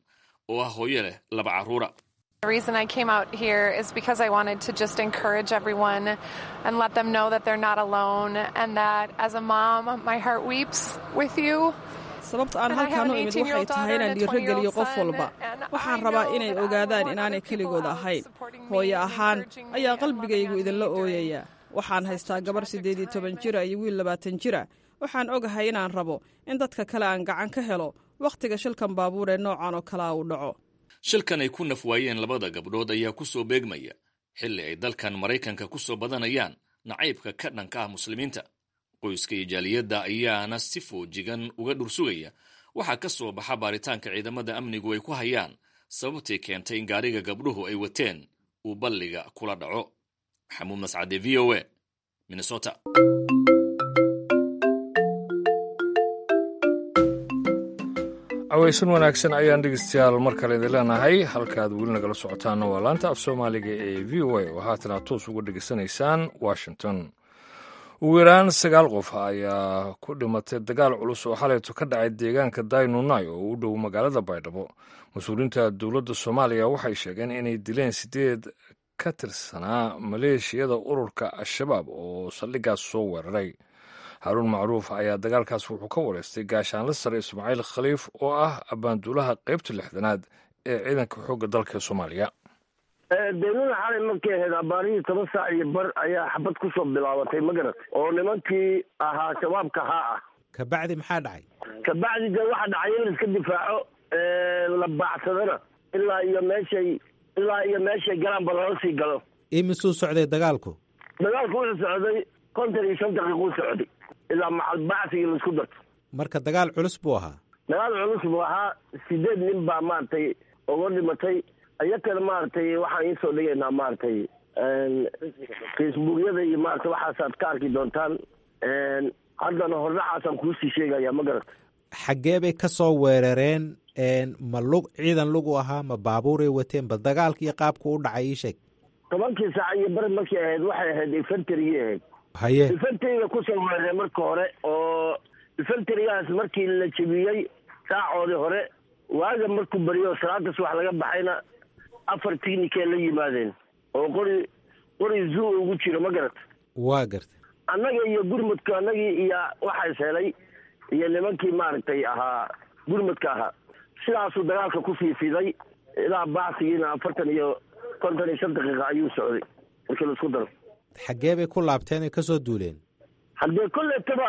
oo ah hooyo leh laba carruura. The reason I came out here is because I wanted to just encourage everyone and let them know that they're not alone and that as a mom, my heart weeps with you. Sababta aan halkaan u imid waxay tahay inaan dhiirogeliyo qof walba. Waxaan rabaa inay ogaadaan inaanay keligood ahayn. Hooyo ahaan ayaa qalbigaygu idinla ooyaya. Waxaan haystaa gabar siddeed iyo toban jira iyo wiil labaatan jira. Waxaan ogahay inaan rabo in dadka kale aan gacan ka helo wakhtiga shilkan baabuur ee noocan oo kalea uu dhaco. Shilkan ay ku naf waayeen labada gabdhood ayaa ku soo beegmaya xilli ay dalkan Maraykanka ku soo badanayaan nacaybka ka dhanka ah muslimiinta. Qoyska iyo jaaliyadda ayaana si foojigan uga dhursugaya waxaa ka soo baxa baaritaanka ciidamada amnigu ay ku hayaan sababtii keentay in gaariga gabdhuhu ay wateen uu balliga kula dhaco. Maxamuud Mascade, V O A, Minnesota. Aweysan wanaagsan ayaan dhegeystayaal mar kale idin leenahay. Halkaad weli nagala socotaanna waa laanta af Soomaaliga ee V O A oo haatan aad toos uga dhegeysanaysaan Washington. Ugu yaraan sagaal qof ayaa ku dhimatay dagaal culus oo xalayto ka dhacay deegaanka Daynunay oo u dhow magaalada Baydhabo. Mas-uuliyiinta dowladda Soomaaliya waxay sheegeen inay dileen sideed ka tirsanaa maleeshiyada ururka Al-Shabaab oo saldhiggaas soo weeraray. Haruun Macruuf ayaa dagaalkaas wuxuu ka wareystay gaashaanle sare Ismaaciil Khaliif oo ah abbaanduulaha qaybta lixdanaad ee ciidanka xoogga dalka Soomaaliya. Daynuna xalay markay ahayd abaarihii toban saac iyo bar ayaa xabad kusoo bilaabatay, ma garat, oo nimankii ahaa shabaabka haa ah. Kabacdi maxaa dhacay? Kabacdi dee waxaa dhacay in la iska difaaco, la baacsadana ilaa iyo meeshay ilaa iyo meeshay galaanba lala sii galo. Imisuu socday dagaalku? Dagaalku wuxuu socday konton iyo shan daqiiquu socday ilaa macal bacsigii laisku darto. Marka dagaal culus buu ahaa. Dagaal culus buu ahaa. Sideed nin baa maaragtay uga dhimatay. Iyakana maaragtay waxaan iisoo dhigaynaa maaragtay Facebookyada iyo maaragtay waxaasaad ka arki doontaan. Haddana hordhacaasaan kuusii sheegaya, ma garata. Xaggee bay ka soo weerareen? Ma lug ciidan lugu ahaa, ma baabuuray wateen? Bal dagaalka iyo qaabku u dhacay ii sheeg. Tobankii saac iyo bari markay ahayd waxay ahayd infantrigii ahayd. Haye. Infantriga kusoo weerareen marka hore, oo infantrigaas markii la jebiyey saacoodii hore, waaga markuu beriyo salaada subax laga baxayna afar tignikee la yimaadeen oo qori qori zoo ugu jiro, ma garata. Waa garta. Annaga iyo gurmudka annagii iyo waxaa is helay iyo nimankii maaragtay ahaa gurmudka ahaa, sidaasuu dagaalka ku fiifiday ilaa bacsigiina afartan iyo konton iyo shan daqiiqa ayuu socday markii laisku daro. Xaggee bay ku laabteen ay kasoo duuleen? Haddee kolletaba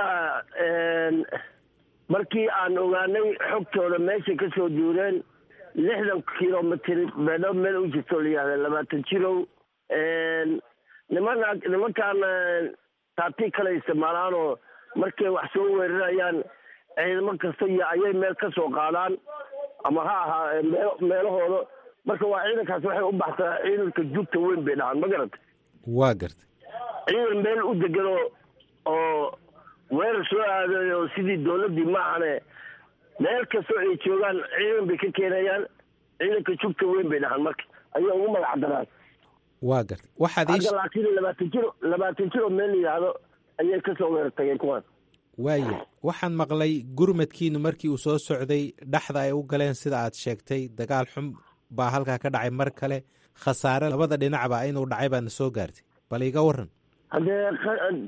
markii aan ogaanay xogtooda meeshay kasoo duuleen lixdan kilomitr Baydhabo meel u jirto la yihahda labaatan jirow. Niman nimankaan taati kale isticmaalaanoo markay wax soo weerarayaan ciidamo kasta iyo ayay meel ka soo qaadaan ama ha ahaa meel meelahooda. Marka waa ciidankaas waxay u baxsaa ciidanka jugta weyn bay dhahaan, ma garata. Waa garta. Ciidan meel u deganoo oo weerar soo aaday oo sidii dowladdii maahane meel kastoo ay joogaan ciidan bay ka keenayaan. Ciidanka jugta weyn bay dhahaan, marka ayay ugu magac daraan. Waa garta. Waxaad ii Hadda laakiin labaatan jir labaatan jir oo meel la yidhaahdo ayay kasoo weerar tageen kuwaan. Waaya, waxaan maqlay gurmadkiinu markii uu soo socday dhexda ay u galeen sida aad sheegtay, dagaal xun baa halkaa ka dhacay mar kale, khasaare labada dhinacba inuu dhacay baadna soo gaartay, bal iga waran. Haddee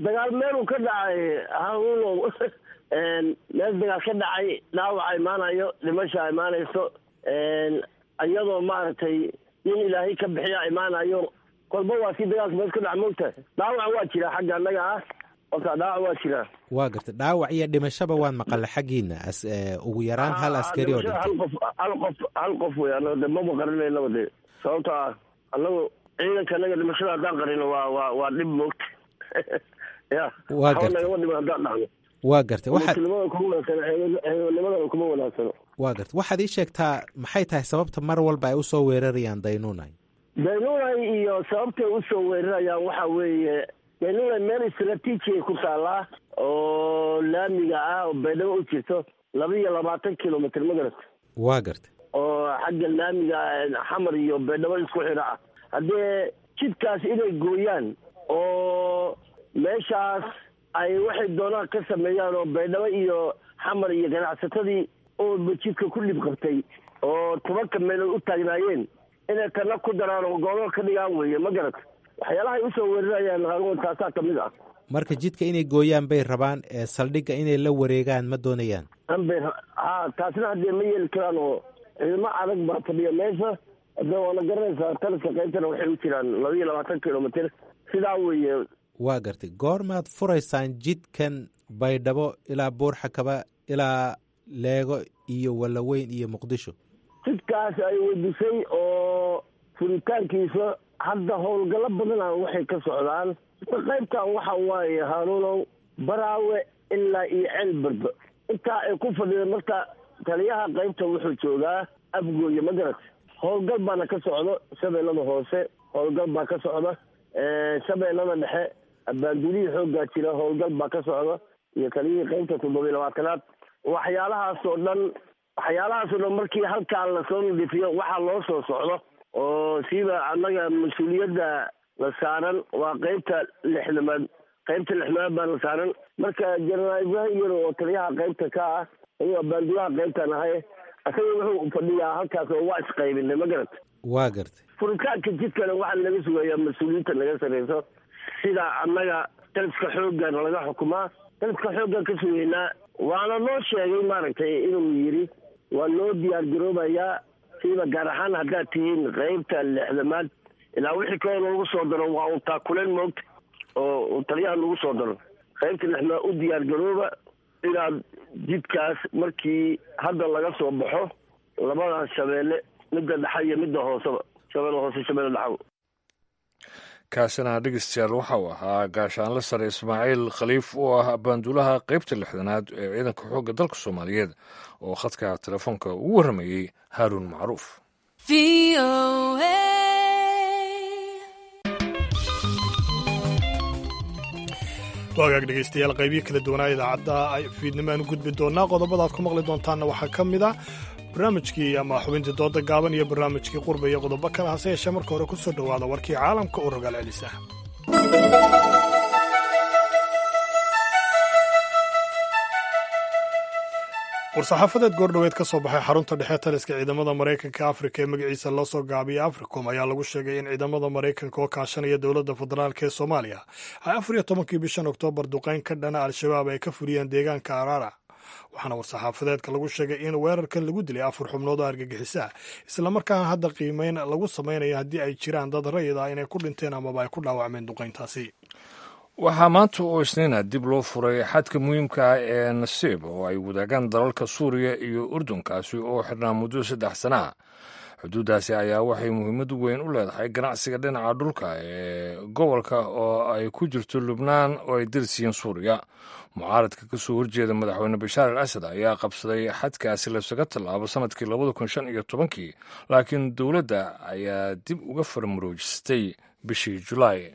dagaal meeluu ka dhacay haruunow, meel dagaal ka dhacay dhaawaca imaanayo, dhimasha imaanayso, iyadoo maaragtay nin Ilaahay ka bixiya imaanayo. Kolba waa si dagaalka meel ka dhaca, moogtahay. Dhaawac waa jiraa xagga annaga ah, kolkaa dhaawac waa jiraa. Waa gartay. Dhaawac iyo dhimashaba waan maqalay xaggiina, as ugu yaraan hal askari oo dhintay. Hal qof hal qof hal qof wey. Annaga de maba qarinaynaba de, sababto ah annagu ciidanka annaga dhimashada haddaan qarino waa waa waa dhib, moogta ya. Waa gartay. Nagama dhiman haddaan dhacno. Waa gartay. Waxaad Muslimada kuma wanaagsano, ciidanimadana kuma wanaagsano. Waa gartay. Waxaad ii sheegtaa maxay tahay sababta mar walba ay usoo weerarayaan Daynunay? Daynunay iyo sababtay usoo weerarayaan waxaa weeye Daynunay meel istraatiiji ku taallaa oo laamiga ah oo Baydhabo u jirto laba iyo labaatan kilomitr, ma garata. Waa gartay. Oo xagga laamiga Xamar iyo Baydhabo isku xidha ah. Haddee jidkaas inay gooyaan oo meeshaas ay waxay doonaan ka sameeyaan oo Baydhabo iyo Xamar iyo ganacsatadii oo jidka ku dhib qabtay oo tobanka meelood u taagnaayeen Inay tana ku daraan oo goobo ka dhigaan weeye, ma garata? Waxyaalahay usoo weerarayaan Haaruun taasaa kamid ah. Marka jidka inay gooyaan bay rabaan, ee saldhigga inay la wareegaan ma doonayaan? Anbay ha, taasna haddee ma yeeli karaan oo ciidamo adag baa fadhiya meesha. Hadde waana garanaysaa, taliska qaybtana waxay u jiraan laba iyo labaatan kilomitr, sidaa weeye. Waa gartay. Goormaad furaysaan jidkan Baydhabo ilaa Buurxakaba ilaa Leego iyo Wallaweyn iyo Muqdisho? Jidkaas ay weydisay oo furitaankiisa hadda howlgallo badana waxay ka socdaan qaybtan. Waxa waaye Haaruunow, Baraawe ilaa iyo Ceelbarba intaa ay ku fadhida. Marka taliyaha qaybta wuxuu joogaa Afgooye, ma garat? Howlgal baana ka socdo Shabeellada Hoose, howlgal baa ka socda Shabeellada Dhexe, abaanduulihii xooggaa jira, howlgal baa ka socda iyo taliyihii qaybta toddoba iyo labaatanaad. Waxyaalahaas oo dhan waxyaalahaas oo dhan markii halkaa lasoo nadiifiyo, waxaa loo soo socdo oo siiba annaga mas-uuliyadda la saaran waa qaybta lixdamaad. Qaybta lixdamaad baa la saaran. Marka Jenaraal Ibraahim Yar oo taliyaha qaybta ka ah, ayuu abaanduulaha qaybtan ahay, isaga wuxuu fadhiyaa halkaas oo waa isqaybinay, ma garat? Waa gartay. Furitaanka jidkana waxaa laga sugayaa mas-uuliyiinta naga sarreyso, sida annaga taliska xooggan laga xukumaa, taliska xooggan ka sugaynaa. Waana noo sheegay maaragtay inuu yidhi waa loo diyaar garoobayaa, siiba gaar ahaan haddaad tihiin qaybta lixdamaad, ilaa wixii kaloo lagu soo daro waa un taakuleen moogta oo taliyaha lagu soo daro. Qaybta lixdamaad u diyaar garooba inaad jidkaas markii hadda laga soo baxo labadaas shabeelle, midda dhexa iyo midda hooseba, Shabeelle Hoose, Shabeelle Dhexaba. Kaasina dhegeystayaal waxa uu ahaa gaashaanle sare Ismaaciil Khaliif oo ah abaanduulaha qaybta lixdanaad ee ciidanka xoogga dalka Soomaaliyeed oo khadka telefoonka ugu warramayey Haaruun Macruuf. Waagaag dhegeystayaal, qaybihi kala duwanaa idaacadda ay fiidnimo aan u gudbi doonaa. Qodobada aad ku maqli doontaanna waxaa ka mid ah barnaamijkii ama xubintii dooda gaaban iyo barnaamijkii qurba iyo qodobo kale. Hase yeeshee marka hore ku soo dhowaada warkii caalamka oo rogaal celisa. War-saxaafadeed goordhoweed ka soo baxay xarunta dhexe taliska ciidamada Maraykanka Afrika ee magaciisa loo soo gaabiyey Africom ayaa lagu sheegay in ciidamada Maraykanka oo kaashanaya dowladda federaalk ee Soomaaliya ay afar iyo tobankii bishan Oktoobar duqeyn ka dhana Al-Shabaab ay ka fuliyeen deegaanka Araara. Waxaana war-saxaafadeedka lagu sheegay in weerarkan lagu dilay afar xubnood oo argagixisa, islamarkaana hadda qiimeyn lagu samaynayo haddii ay jiraan dad rayid ah inay ku dhinteen amaba ay ku dhaawacmeen duqeyntaasi. Waxaa maanta oo Isniina dib loo furay xadka muhiimka ah ee Nasiib oo ay wadaagaan dalalka Suuriya iyo Urdunkaasi oo xidhnaa muddo saddex sana ah. Xuduuddaasi ayaa waxay muhiimad weyn u leedahay ganacsiga dhinaca dhulka ee gobolka oo ay ku jirto Lubnaan oo ay dirsiiyeen Suuriya. Mucaaradka ka soo horjeeda madaxweyne Bashaar al Asad ayaa qabsaday xadkaasi laysaga tallaabo sanadkii labada kun shan iyo tobankii, laakiin dowladda ayaa dib uga farmaroojistay bishii Julaay.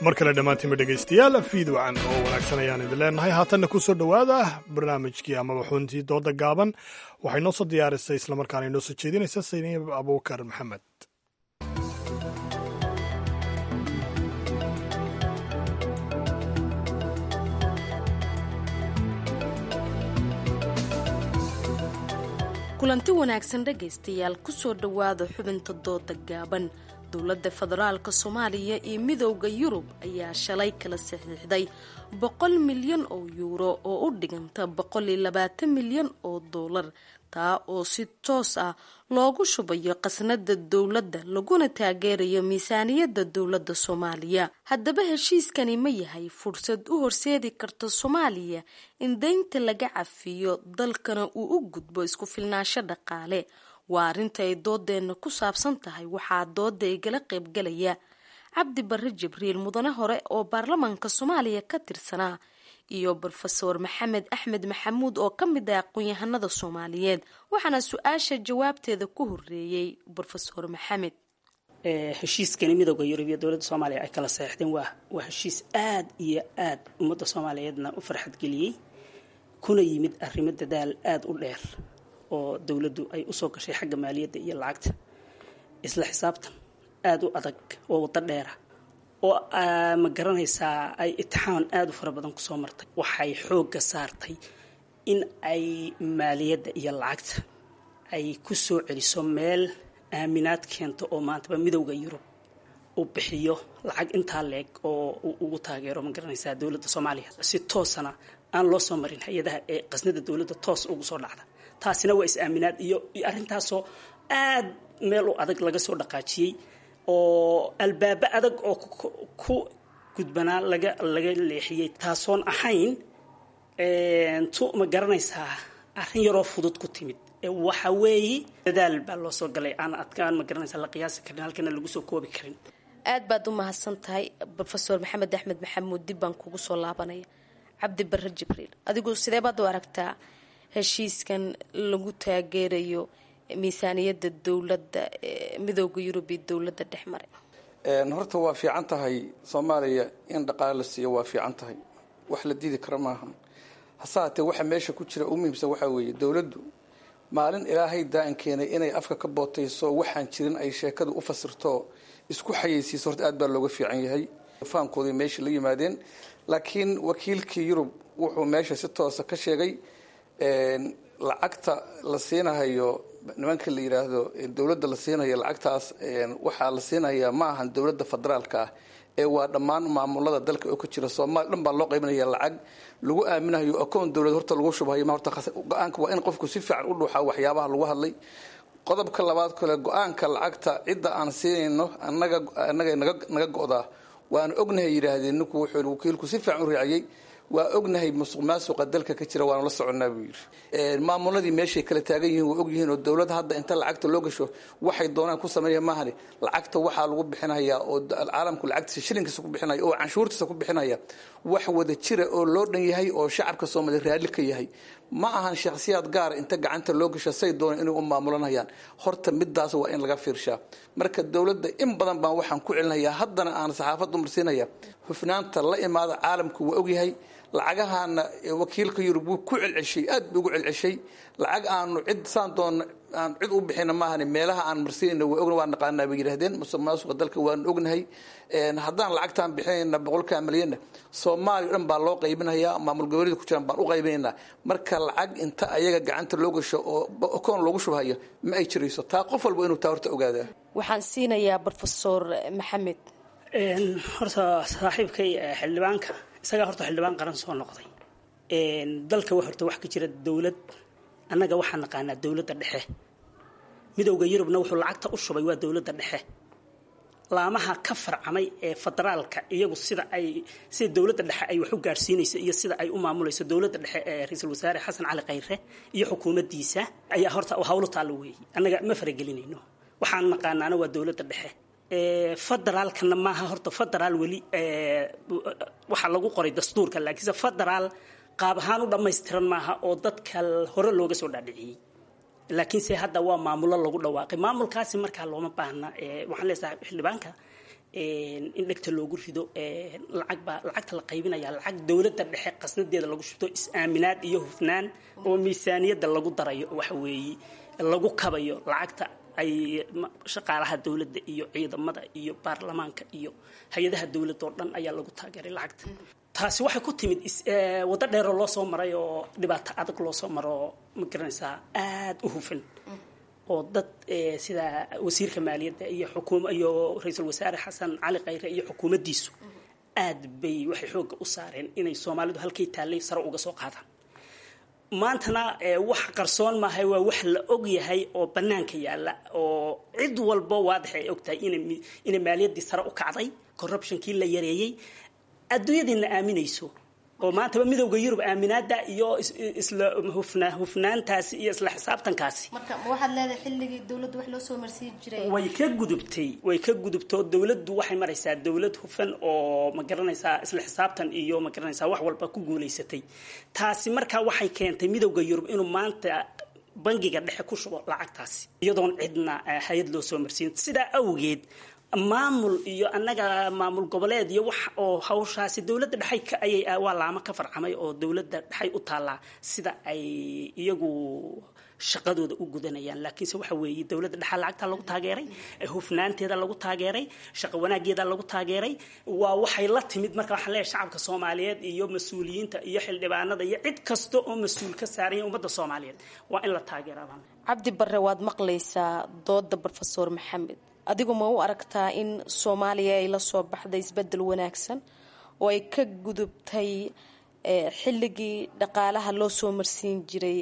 Mar kale dhammaantiinba dhegaystayaal, fiid wacan oo wanaagsan ayaan idin leenahay. Haatanna ku soo dhowaada barnaamijkii amaba xuntii dooda gaaban. Waxay noo soo diyaarisay islamarkaana inoo soo jeedinaysa Sayniib Abuukar Maxamed. Kulanti wanaagsan dhegaystayaal, kusoo dhowaada xubinta dooda gaaban. Dowladda federaalka Soomaaliya iyo Midowda Yurub ayaa shalay kala saxiixday boqol milyan oo yuuro oo u dhiganta boqol iyo labaatan milyan oo doolar, taa oo si toos ah loogu shubayo qasnada dowladda laguna taageerayo miisaaniyadda dowladda Soomaaliya. Haddaba heshiiskani ma yahay fursad u horseedi karta Soomaaliya in deynta laga cafiyo, dalkana uu u gudbo isku filnaansho dhaqaale? Waa arrinta ay doodeenna ku saabsan tahay. Waxaa dooda igala qaybgalaya Cabdi Barre Jibriil, mudane hore oo baarlamaanka Soomaaliya ka tirsanaa, iyo Brofeor Maxamed Axmed Maxamuud oo ka mid ah aqoon-yahanada Soomaaliyeed. Waxaana su-aasha jawaabteeda ku horeeyey Brofeor Maxamed. Heshiiskani Midooda Yurub iyo dowladda Soomaaliya ay kala saxeexdeen waa waa heshiis aad iyo aad ummadda Soomaaliyeedna u farxadgeliyey, kuna yimid arrimo dadaal aada u dheer oo dowladdu ay usoo gashay xagga maaliyadda iyo lacagta, isla xisaabtan aada u adag oo waddo dheera Oo ma garanaysaa ay itixaan aada u fara badan kusoo martay, waxay xoogga saartay in ay maaliyadda iyo lacagta ay ku soo celiso meel aaminaad keento, oo maantaba Midowda Yurub uu bixiyo lacag intaa leeg oo uu ugu taageero, ma garanaysaa, dowladda Soomaaliya, si toosana aan loo soo marin hay-adaha ee qasnada dowladda toos ugu soo dhacda. Taasina waa is-aaminaad iyo iyo arrintaasoo aad meel u adag laga soo dhaqaajiyey, oo albaabo adag oo ku gudbanaa laga laga leexiyey, taasoon ahayn tu, ma garanaysaa, arrin yaroo fudud ku timid. Waxa weeye dadaal baa loo soo galay aan adkaan, ma garanaysaa, la qiyaasi karin, halkana lagu soo koobi karin. Aad baad u mahadsan tahay, Brofesor Maxamed Axmed Maxamuud. Dib baan kugu soo laabanaya. Cabdi Barre Jibriil, adigu sidee baad u aragtaa heshiiskan lagu taageerayo miisaaniyadda dowladda Midooda Yurub iyo dowladda dhex maray? Horta waa fiican tahay Soomaaliya in dhaqaale la siiyo, waa fiican tahay, wax la diidi karo maahan. Hase haatee waxa meesha ku jira u muhiimsan waxaa weeye dowladdu maalin Ilaahay daa'in keenay inay afka ka bootayso, waxaan jirin ay sheekadu u fasirto, isku xayeysiiso, horta aad baa looga fiican yahay. Fahamkooday meesha la yimaadeen, laakiin wakiilkii Yurub wuxuu meesha si toosa ka sheegay lacagta la siinahayo nimanka la yidhaahdo dowladda la siinayo lacagtaas, waxaa la siinayaa ma ahan dowladda federaalka ah ee waa dhammaan maamulada dalka oo ka jira Soomaaliya dhan baa loo qaybinaya, lacag lagu aaminayo akoon dowlad horta lagu shubhayo ma. Horta go-aanka waa in qofku si fiican u dhuuxaa waxyaabaha lagu hadlay. Qodobka labaad kale, go-aanka lacagta cidda aan siinayno annaga annaga naga naga go'daa, waana ognahay, yidhaahdeen. Ninku wuxuu wakiilku si fiican u raaciyey, waa ognahay musuq maasuqa dalka ka jira, waanu la soconnaa, buu yidhi. Maamuladii meeshay kala taagan yihiin waa ogyihiin, oo dowladda hadda inta lacagta loo gasho waxay doonaan ku sameeya maahane. Lacagta waxaa lagu bixinayaa oo caalamku lacagtiisa shilinkiisa ku bixinaya oo canshuurtiisa ku bixinaya wax wada jira oo loo dhan yahay oo shacabka Soomaaliya raalli ka yahay. Ma ahan shakhsiyaad gaara inta gacanta loo gasho say doonaan inay u maamulanayaan. Horta midaas waa in laga fiirshaa. Marka dowladda in badan baan waxaan ku celinayaa, haddana aan saxaafaddu marsiinaya, hufnaanta la imaada. Caalamku waa ogyahay lacagahaana. Wakiilka Yurub wuu ku celceshay, aad buu ugu celceshay, lacag aanu cid saan doon aan cid u bixina maahane, meelaha aan marsiinayna waa ogna, waa naqaanaa, bay yidhahdeen. Musuq maasuqa dalka waanu ognahay. Haddaan lacagtaan bixinayna boqolkaa malyanna, Soomaaliya o dhan baa loo qaybinayaa, maamul goboleeda ku jiraan baan u qaybinaynaa. Marka lacag inta ayaga gacanta loo gasho oo akoon loogu shubhayo ma ay jirayso. Taa qof walba inuu taa horta ogaadaa. Waxaan siinayaa Brofesor Maxamed. Horta saaxiibkay xildhibaanka isagaa horta xildhibaan qaran soo noqday. Dalka wa horta wax ka jira dowlad, annaga waxaan naqaanaa dowladda dhexe. Midowda Yurubna wuxuu lacagta u shubay waa dowladda dhexe. Laamaha ka farcamay ee federaalka iyagu sida ay sida dowladda dhexe ay wax u gaadhsiinayso iyo sida ay u maamulayso dowladda dhexe ee ra-iisul wasaare Xasan Cali Khayre iyo xukuumaddiisa ayaa horta hawlo taallo weeyey. Annaga ma faragelinayno, waxaan naqaanaana waa dowladda dhexe. Federaalkana maaha horta federaal weli, waxaa lagu qoray dastuurka, laakiinse federaal qaab ahaan u dhammaystiran maaha oo dadka hore looga soo dhaadhiciyey, laakiinse hadda waa maamulo lagu dhawaaqay. Maamulkaasi markaa looma baahna. Waxaan leeyahay xildhibaanka in dhegta loogu rido lacag baa lacagta la qaybinaya, lacag dowladda dhexe qasnadeeda lagu shubto, is-aaminaad iyo hufnaan oo miisaaniyadda lagu darayo, waxa weeye lagu kabayo lacagta ay shaqaalaha dowladda iyo ciidamada iyo baarlamaanka iyo hay-adaha dowladda oo dhan ayaa lagu taageeray lacagta. Taasi waxay ku timid waddo dheeroo loo soo maray oo dhibaato adag loo soo maro, ma garanaysaa, aada u hufan oo dad sida wasiirka maaliyadda iyo xukuum iyo ra-iisul wasaare Xasan Cali Khayre iyo xukuumaddiisu aad bay waxay xoogga u saareen inay Soomaalidu halkay taallay sare uga soo qaadaan. Maantana wax qarsoon maahay, waa wax la og yahay oo bannaanka yaalla oo cid walbo waadax ay og tahay ina inay maaliyaddii sare u kacday, corruptionkii la yareeyey, adduunyadiina aaminayso, oo maantaba Midowda Yurub aaminaada iyo isla hufna hufnaantaasi iyo isla xisaabtankaasi. Marka ma waxaad leedahay xilligii dowladdu wax loo soo marsiin jiray way ka gudubtay? Way ka gudubtoo dowladdu waxay maraysaa dowlad hufan oo, ma garanaysaa, isla xisaabtan iyo, ma garanaysaa, wax walba ku guulaysatay. Taasi markaa waxay keentay Midowda Yurub inuu maanta bangiga dhexe ku shubo lacagtaasi iyadoon cidna hay-ad loo soo marsiin. Sidaa awgeed maamul iyo annaga maamul goboleed iyo wax oo hawshaasi dowladda dhexay ka ayay waa laamo ka farcamay oo dowladda dhexay u taallaa sida ay iyagu shaqadooda u gudanayaan. Laakiinse waxa weeye dowladda dhexaa lacagtaa lagu taageeray, hufnaanteeda lagu taageeray, shaqo wanaageeda lagu taageeray, waa waxay la timid. Marka waxaan leeyahay shacabka Soomaaliyeed iyo mas-uuliyiinta iyo xildhibaanada iyo cid kasta oo mas-uul ka saaran yahay ummadda Soomaaliyeed waa in la taageeraa. Cabdi Barre, waad maqlaysaa dooda Brofesor Maxamed. Adigu ma u aragtaa in Soomaaliya ay la soo baxday isbedel wanaagsan oo ay ka gudubtay xilligii dhaqaalaha loo soo marsiin jiray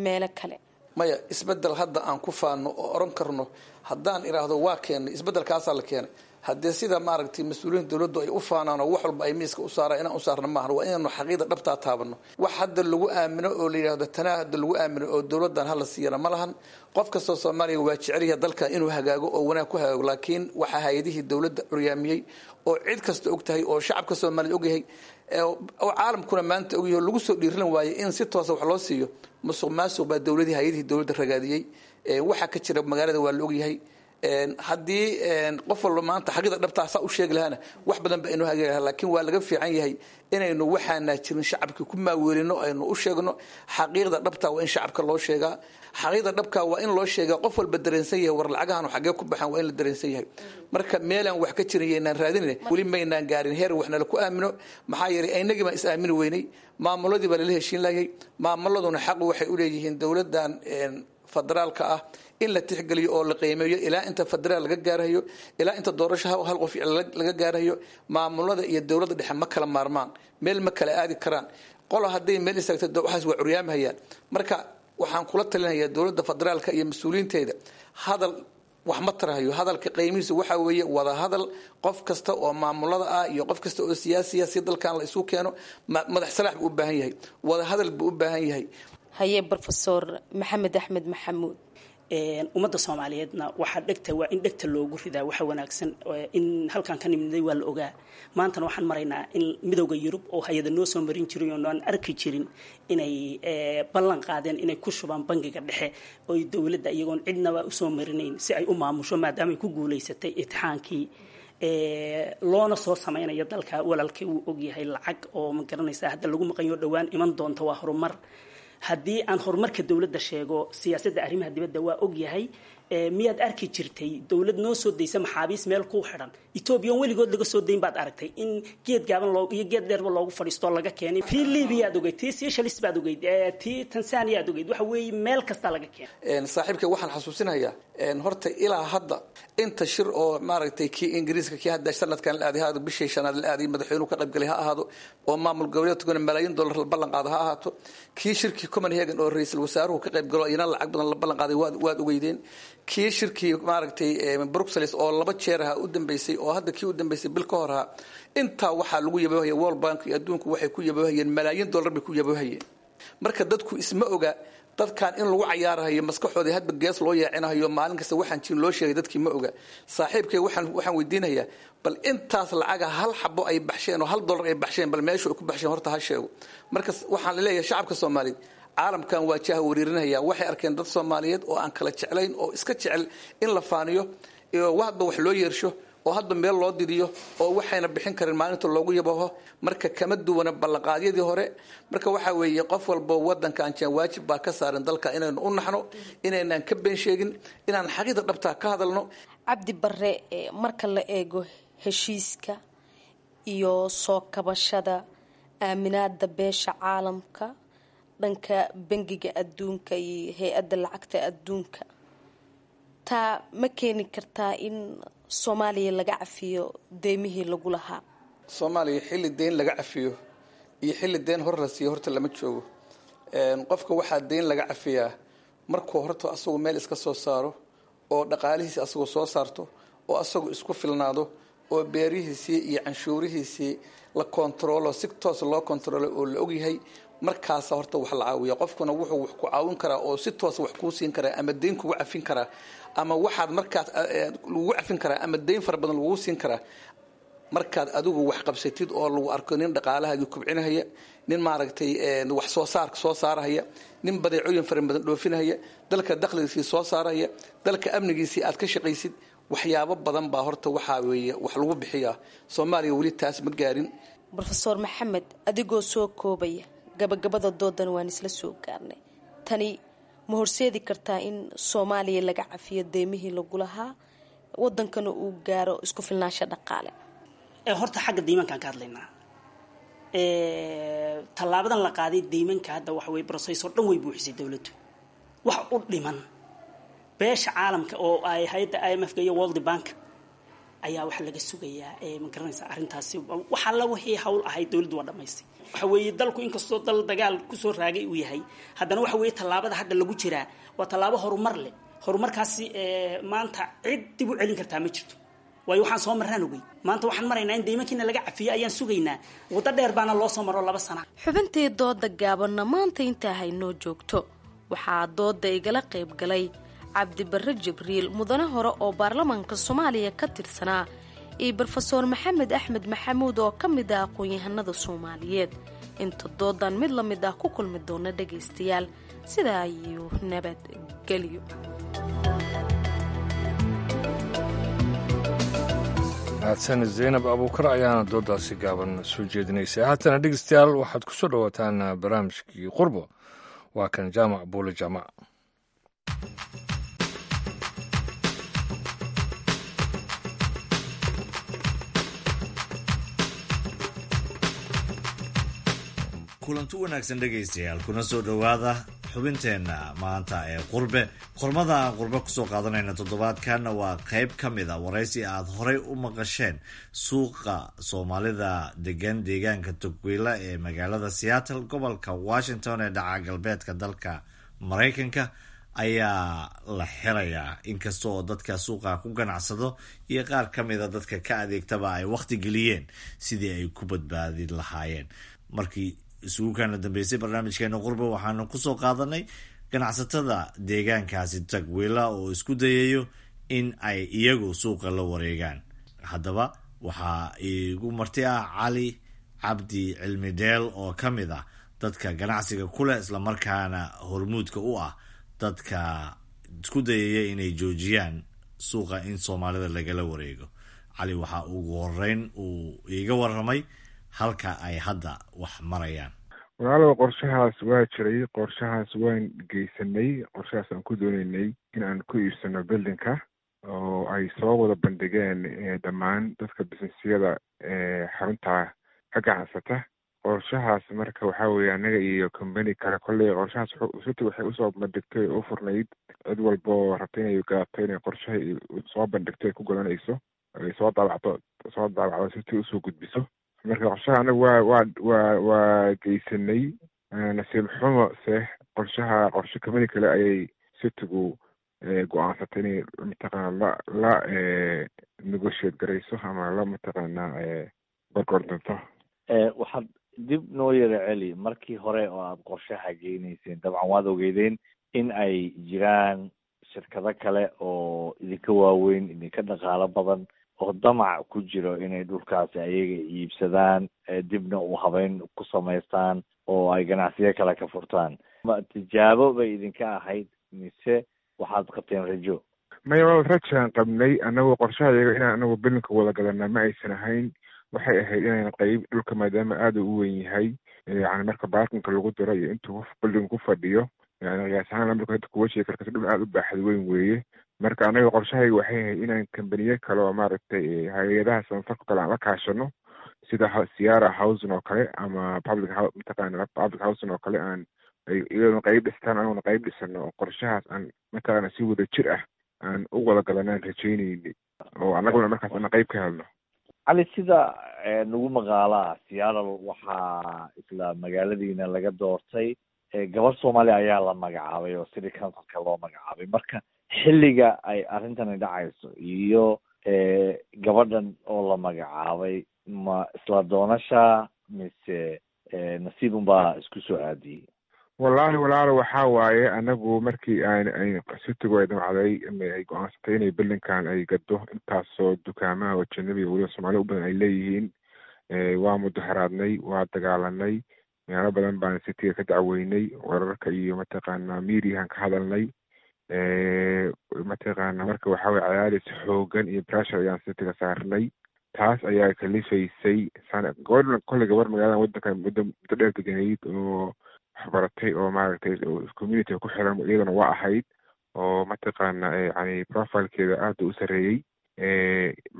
meelo kale? Maya, isbedel hadda aan ku faano oo oran karno haddaan idhaahdo waa keenay isbedelkaasaa la keenay, haddee sida maaragtay mas-uuliyiinta dowladdu ay u faanaan oo wax walba ay miiska u saaraan inaan u saarna maahan. Waa inaanu xaqiida dhabtaa taabano. Wax hadda lagu aamino oo la yidhaahdo tanaa hadda lagu aamino oo dowladdan hala siiyana ma lahan. Qof kastoo Soomaaliya waa jecelyaha dalkan inuu hagaago oo wanaag ku hagaago, laakiin waxaa hay-adihii dowladda curyaamiyey oo cid kasta og tahay oo shacabka Soomaaliya ogyahay oo caalamkuna maanta ogyahay oo lagu soo dhiiran waayey in si toosa wax loo siiyo, musuq maasuq baa dowladii hay-adihii dowladda ragaadiyey. Waxaa ka jira magaalada waa la ogyahay. Haddii qof walba maanta xaqiida dhabtaa saa u sheegi lahaana wax badan ba inuu hagaagi lahaa, laakiin waa laga fiican yahay inaynu waxaana jirin shacabkii ku maaweelino, aynu u sheegno xaqiiqda dhabtaa. Waa in shacabka loo sheegaa xaqiiqda dhabkaa, waa in loo sheegaa qof walba dareensan yahay war lacagahan xaggee ku baxaan, waa in la dareensan yahay. Marka meelaan wax ka jirin yaynaan raadinin, weli maynaan gaarin heer waxnala ku aamino. Maxaa yeelay inagii baan is aamini weynay, maamuladii baa lala heshiin lahayay. Maamuladuna xaqu waxay u leeyihiin dowladdan federaalka ah in la tixgeliyo oo la qiimeeyo ilaa inta federaal laga gaarayo, ilaa inta doorasho hal qof laga gaarayo. Maamulada iyo dowladda dhexe ma kala maarmaan, meel ma kala aadi karaan. Qolo hadday meel istaagto waxaas waa curyaamahayaan. Marka waxaan kula talinayaa dowladda federaalka iyo mas-uuliyiinteeda, hadal wax ma tarahayo, hadalka qiimihiisu waxaa weeye wada hadal qof kasta oo maamulada ah iyo qof kasta oo siyaasiya si dalkan la isu keeno. Madax salaax buu u baahan yahay, wada hadal buu u baahan yahay. Haye Brofesor Maxamed Axmed Maxamuud. Ummadda Soomaaliyeedna waxaa dhegta waa in dhegta loogu ridaa waxa wanaagsan. In halkaan ka nimidnay waa la ogaa. Maantana waxaan maraynaa in Midowda Yurub oo hay-ada noo soo marin jiray oo aan arki jirin inay ballan qaadeen inay ku shubaan bangiga dhexe oy dowladda iyagoon cidnaba usoo marinayn si ay u maamusho, maadaama ay ku guulaysatay itixaankii loona soo samaynayo dalka. Walaalkay wuu ogyahay lacag oo ma garanaysaa hadda lagu maqanyo dhowaan iman doonta, waa horumar. Haddii aan horumarka dowladda sheego, siyaasadda arrimaha dibadda waa ogyahay. Miyaad arki jirtay dowlad noo soo daysa maxaabiis meel ku xidhan? Etoobiya weligood laga soo dayn baad aragtay in geed gaaban loo iyo geed dheerba loogu fadhiisto laga keenay. Tii Libiyaad ogeyd, tii Seychelles baad ogeyd, tii Tanzaniyaad ogeyd, waxa weeye meel kasta laga keenay. Saaxiibkay waxaan xasuusinayaa horta ilaa hadda inta shir oo maaragtay kii Ingiriiska, kii hadda sanadkan la aaday, ha bishii shanaad la aaday, madaxweynuhu ka qaybgalay ha ahaado, oo maamul goboleedkuna malaayiin dollar la ballan qaado ha ahaato, kii shirkii Copenhagen oo ra'iisul wasaaruhu ka qaybgalo iyana lacag badan la ballan qaaday waad waad ogeydeen, kii shirkii maaragtay Brussels oo laba jeer ha u dambeysay oo hadda kii u dambeysay bil ka hor ha, intaa waxaa lagu yaboohaya World Bank iyo adduunku waxay ku yaboohayeen malaayiin dollar bay ku yaboohayeen. Marka dadku isma oga dadkan in lagu cayaarahayo maskaxoodii hadba gees loo yeecinahayo maalin kasta waxaan jirin loo sheegay, dadkii ma oga. Saaxiibkay waxaan waxaan weydiinayaa bal intaas lacaga hal xabo ay baxsheen oo hal dollar ay baxsheen, bal meesha ay ku baxsheen horta ha sheego. Marka waxaan leeyahay shacabka Soomaaliyeed caalamkan waa jaha wareerinaya, waxay arkeen dad Soomaaliyeed oo aan kala jeclayn oo iska jecel in la faaniyo iyo hadba wax loo yeersho oo hadba meel loo didiyo oo waxayna bixin karin maalinta loogu yabaho. Marka kama duwana ballanqaadyadii hore. Marka waxaa weeye qof walbo wadankan jeen waajib baa ka saaran dalka inaynu u naxno, inaynaan ka been sheegin, inaan xaqiiqda dhabtaa ka hadalno. Cabdi Barre, marka la eego heshiiska iyo soo kabashada aaminaada beesha caalamka dhanka bangiga adduunka iyo hay-adda lacagta adduunka, taa ma keeni kartaa in Soomaaliya laga cafiyo deymihii lagu lahaa? Soomaaliya xilli deyn laga cafiyo iyo xilli deyn hor la siiyo horta lama joogo. Qofka waxaa deyn laga cafiyaa markuu horta asagu meel iska soo saaro oo dhaqaalihiisi asagoo soo saarto oo asagu isku filnaado oo beerihiisii iyo canshuurihiisii la kontaroolo, si toos loo kontaroolo oo la ogyahay, markaasa horta wax la caawiya. Qofkuna wuxuu wax ku caawin karaa oo si toosa wax kuu siin karaa ama deyn kugu cafin karaa ama waxaad markaas lagugu cafin karaa ama deyn fara badan lagugu siin karaa markaad adigu wax qabsatid oo lagu arko nin dhaqaalahaagii kubcinahaya, nin maaragtay wax soo saarka soo saarahaya, nin badeecooyin fara badan dhoofinahaya, dalka dakhligiisii soo saarahaya, dalka amnigiisii aad ka shaqaysid. Waxyaabo badan baa horta waxaa weeye wax lagu bixiyaa. Soomaaliya weli taas ma gaarin. Brofesor Maxamed, adigoo soo koobaya gabagabada doodan waan isla soo gaarnay, tani Ma horseedi kartaa in Soomaaliya laga cafiyo deymihii lagu lahaa, wadankana uu gaaro isku filnaansha dhaqaale? Horta xagga deymankaan ka hadlaynaa. Tallaabadan la qaaday deymanka hadda waxa weye process oo dhan way buuxisay dowladdu. Wax u dhiman beesha caalamka oo ay hay-adda I M F ka iyo World Bank ayaa waxaa laga sugayaa. Ma garanaysaa, arrintaasi wax alla wixii hawl ahayd dowladdu waa dhamaystay. Waxa weeye dalku inkastoo dal dagaal kusoo raagay uu yahay, haddana waxa weeye tallaabada hadda lagu jiraa waa tallaabo horumar leh. Horumarkaasi maanta cid dib u celin kartaa ma jirto, waayo waxaan soo marraan ogey. Maanta waxaan maraynaa in deymankiina laga cafiyo ayaan sugaynaa. Waddo dheer baana loo soo maro laba sana. Xubintii dooda gaabanna maanta intaa haynoo joogto. Waxaa dooda igala qayb galay Cabdibarre Jibriil, mudane hore oo baarlamaanka Soomaaliya ka tirsanaa, iyo Brofesoor Maxamed Axmed Maxamuud oo ka mid ah aqoon-yahanada Soomaaliyeed. Inta doodan mid la mid ah ku kulmi doona dhagaystayaal, sidaa ayuu nabadgelyo. Mahadsan Zaynab Abuukar ayaana doodaasi gaaban soo jeedinaysay. Haatana dhegeystayaal, waxaad ku soo dhowaataan barnaamijkii Qurbo. Waa kan Jaamac Buule Jaamac. Kulanti wanaagsan dhegaystayaal, kuna soo dhowaada xubinteenna maanta ee qurbe. Qormada aan qurbe kusoo qaadanayna toddobaadkanna waa qayb ka mid a waraysi aad horey u maqasheen. Suuqa Soomaalida degan deegaanka Tugwiila ee magaalada Seattle, gobolka Washington ee dhaca galbeedka dalka Maraykanka ayaa la xirayaa, inkasta oo dadka suuqa ku ganacsado iyo qaar ka mida dadka ka adeegtaba ay wakhti geliyeen sidii ay ku badbaadin lahaayeen. Markii isugu kaana dambeysay barnaamijkeena qurbe, waxaanu kusoo qaadanay ganacsatada deegaankaasi Tagwiila oo isku dayayo in ay iyagu suuqa la wareegaan. Haddaba waxaa iigu marti ah Cali Cabdi Cilmi Dheel oo ka mid ah dadka ganacsiga ku leh, islamarkaana hormuudka u ah dadka isku dayaya inay joojiyaan suuqa in Soomaalida lagala wareego. Cali waxaa ugu horeyn uu iiga waramay halka ay hadda wax marayaan. Walaalow, qorshahaas waa jiray, qorshahaas waan geysanay, qorshahaas aan ku dooneynay in aan ku iibsano buildingka oo ay soo wada bandhigeen dhammaan dadka businessyada xarunta ka ganacsata. Qorshahaas marka waxaa weeye annaga iyo company kale kolley qorshahaas city waxay usoo bandhigtay oo u furnayd cid walba oo rabta inay gadato inay qorshaha soo bandhigto ay ku gadanayso, ay soo daabacdo soo daabacdo city usoo gudbiso. Marka qorshaha anagu waa waa waa waa geysanay. Nasiib xumo se qorshaha qorshe company kale ayay citygu go-aansatay inay mataqaana la la negotiate garayso ama la mataqaana gorgordanto. Waxaad dib noo yara celi markii hore oo aada qorshaha geynayseen. Dabcan waad ogeydeen in ay jiraan shirkado kale oo idinka waaweyn, idinka dhaqaalo badan oo damac ku jiro inay dhulkaasi ayaga iibsadaan, dibna u habeyn ku samaystaan oo ay ganacsiyo kale ka furtaan. Ma tijaabo bay idinka ahayd mise waxaad qabteen rajo? Maya walaal, rajaan qabnay annagu. Qorshaha iyaga inaan anagu bilinka wada gadana ma aysan ahayn. Waxay ahayd inaan qayb dhulka, maadaama aada u weyn yahay, yani marka baarkinka lagu diro iyo intuu qof building ku fadhiyo, yani qiyaas ahaan marka hadda kuwa sheegi karta, dhul aada u baaxad weyn weeye. Marka anaga qorshahayga waxay ahayd inaan kambaniyo kale oo maaragtay hay-adaha samafalka kale aan la kaashano, sida Sierra Housing oo kale ama public mataqaana public housing oo kale, aan iyadona qayb dhistaan anaguna qayb dhisano, oo qorshahaas aan mataqaana si wada jir ah aan u wada gadanaan rajaynayni, oo annaguna markaas ana qayb ka helno. Cali, sida nagu maqaalaa, Seattle waxaa isla magaaladiina laga doortay gabar Soomaaliya ayaa la magacaabay oo city councilka loo magacaabay. Marka xilliga ay arrintani dhacayso iyo gabadhan oo la magacaabay, ma isla doonasha mise nasiib unbaa isku soo aadiyey? Wallaahi walaalo, waxaa waaye anagu markii aan ay citygu ay damcday ama ay go-aansatay inay buildingkan ay gado, intaasoo dukaamaha oo janabi weliba Soomaaliya u badan ay leeyihiin, waa mudaharaadnay, waa dagaalanay, meelo badan baan cityga ka dacweynay, wararka iyo mataqaana mediahan ka hadalnay mataqaana. Marka waxaa weye cadaadis xoogan iyo pressure ayaan cityga saarnay, taas ayaa kalifaysay. Gabadhan kolley gabar magaalada wadanka muddo muddo dheer deganayd oo Waxbaratay oo maaragtay community ku xiran iyadana waa ahayd, oo mataqaana yani profile-keeda aada u sareeyey.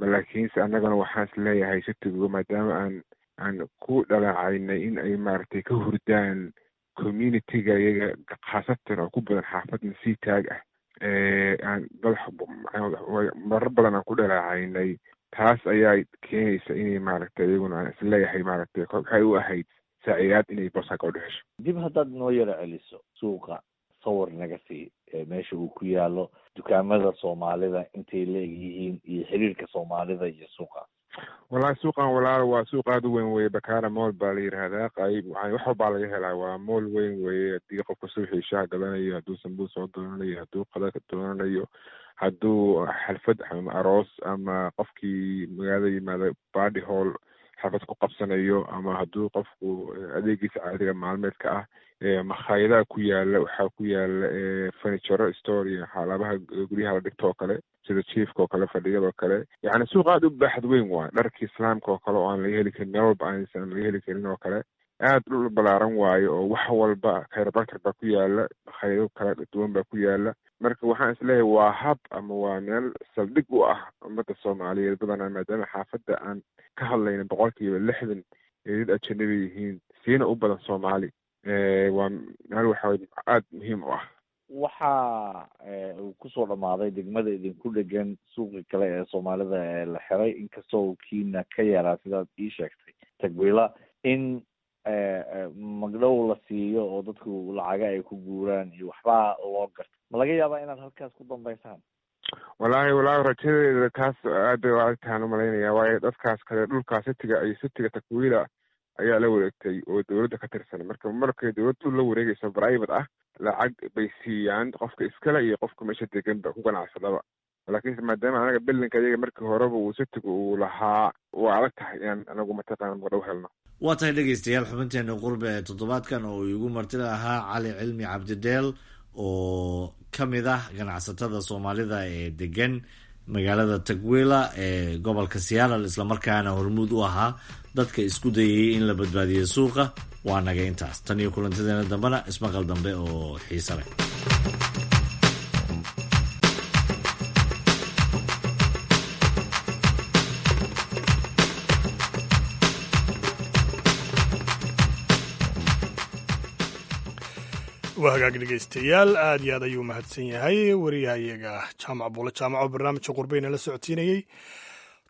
Laakiinse annagana waxaan is leeyahay city-gu, maadaama aan aan ku dhaleecaynay in ay maaragtay ka hurdaan community-ga iyaga, khaasatan oo ku badan xaafadna sii taag ah, aan dad marar badan aan ku dhaleecaynay, taas ayaa keenaysa inay maaragtay iyaguna aan is leeyahay maaragtay waxay u ahayd saacidaad inay boosaa gabadho hesho. Dib haddaad noo yaro celiso suuqa, sawir naga sii meesha uu ku yaalo, dukaamada Soomaalida intay leegyihiin iyo xiriirka Soomaalida iyo suuqa. Wallahi suuqan walaal waa suuq aada u weyn weye. Bakara Mall baa la yidhaahdaa. Qayb wax walbaa laga helaa, waa mall weyn weye. Haddii qofka suuxii shaah gadanayo, hadduu sambuus soo doonanayo, hadduu qada doonanayo, hadduu xalfad ama aroos ama qofkii magaalada yimaada party hall xalfad ku qabsanayo, ama hadduu qofku adeegiisa caadiga maalmeedka ah, makhaayadaha ku yaala, waxaa ku yaala furniture store iyo xaaladaha guryaha la dhigto oo kale, sida chiefka oo kale, fadhiyada oo kale. Yacni suuq aada u baaxad weyn waay. Dharkii islaamka oo kale oo aan laga heli karin meel walba, aansan laga heli karin oo kale, aada dhul balaaran waayo oo wax walba chiropractor baa ku yaala, makhaayado kala duwan baa ku yaala. Marka waxaan isleeyahay waa hab ama waa meel saldhig u ah ummadda Soomaaliyeed badanaa, maadaama xaafadda aan ka hadlayna boqolkiiba lixdan ay dad ajanabi yihiin, siina u badan Soomaali. Waa meel waxa aada muhiim u ah. Waxa uu kusoo dhamaaday degmada idinku dhegan suuqi kale ee Soomaalida ee la xiray, inkastoo uu kiina ka yaraa sidaad ii sheegtay Tagwila, in magdhow la siiyo oo dadku lacaga ay ku guuraan iyo waxbaa loo garta. Ma laga yaabaa inaad halkaas ku dambaysaan? Wallaahi wallaahi rajadeeda taas aad bay u adagtahaan umalaynaya, waayo dadkaas kale dhulkaa city-ga iyo city-ga Takwila ayaa la wareegtay oo dowladda ka tirsan. Marka markay dowladdu la wareegayso private ah, lacag bay siiyaan qofka iskale iyo qofka meesha degan ba ku ganacsadaba. Laakiinse maadaama anaga bilinka iyaga markii horeba uu city-gu uu lahaa, waa adag tahay inaan anagu mataqaana magdhow helno. Waa tahay dhegeystayaal, xubinteena qurbe ee toddobaadkan oo iigu martida ahaa Cali Cilmi Cabdideel oo ka mid ah ganacsatada Soomaalida ee degan magaalada Tagwila ee gobolka Seattle, islamarkaana hormuud u ahaa dadka isku dayayay in la badbaadiyo suuqa, waa naga intaas. Tan iyo kulantadeena dambena, ismaqal dambe oo xiise leh. Waa hagaag dhegeystayaal, aad iyo aad ayuu mahadsan yahay wariyahayaga Jaamac Buule Jaamac oo barnaamijka qurbeyna la socodsiinayey.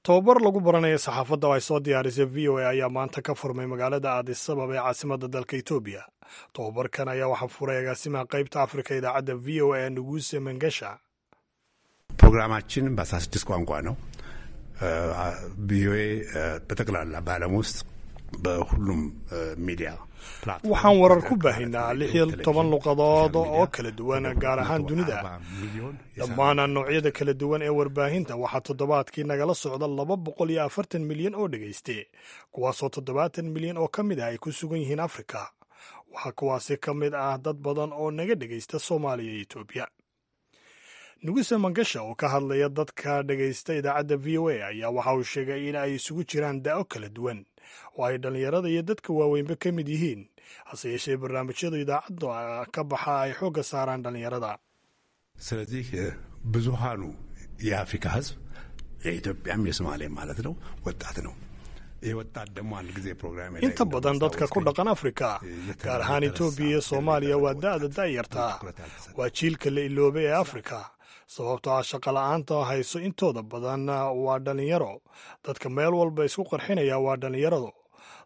Tobabar lagu baranaya saxaafadda oo ay soo diyaarisay V O A ayaa maanta ka furmay magaalada Addis Ababa ee caasimadda dalka Etoobiya. Tobabarkan ayaa waxaa furay agaasimaha qaybta Afrika idaacadda V O A, Nuguse Mangasha. ፕሮግራማችን በአስራ ስድስት ቋንቋ ነው። ቪኦኤ በጠቅላላ በዓለም ውስጥ በሁሉም ሚዲያ Waxaan warar ku baahinaa lix iyo toban luqadood oo kala duwan, gaar ahaan dunida dhammaan noocyada kala duwan ee warbaahinta. Waxaa toddobaadkii nagala socda laba boqol iyo afartan milyan oo dhegayste, kuwaasoo toddobaatan milyan oo ka mid ah ay ku sugan yihiin Afrika. Waxaa kuwaasi ka mid ah dad badan oo naga dhegaysta Soomaaliya iyo Etoobiya. Nuguse Mangasha oo ka hadlaya dadka dhegaysta idaacadda V O A ayaa waxa uu sheegay in ay isugu jiraan da'o kala duwan oo ay dhallinyarada iyo dadka waaweynba ka mid yihiin, hase yeeshee barnaamijyada idaacadda ka baxa ay xoogga saaraan dhallinyarada. ስለዚህ ብዙሃኑ የአፍሪካ ሕዝብ የኢትዮጵያም የሶማሌም ማለት ነው ወጣት ነው። ይህ ወጣት ደግሞ አንድ ጊዜ ፕሮግራም Inta badan dadka ku dhaqan Afrika, gaar ahaan Etoobiya iyo Soomaaliya, waa da'da da'yartaa, waa jiilka la iloobay ee Afrika, sababtoo ah shaqola'aanta hayso intooda badan waa dhallinyaro. Dadka meel walba isku qarxinaya waa dhallinyaradu.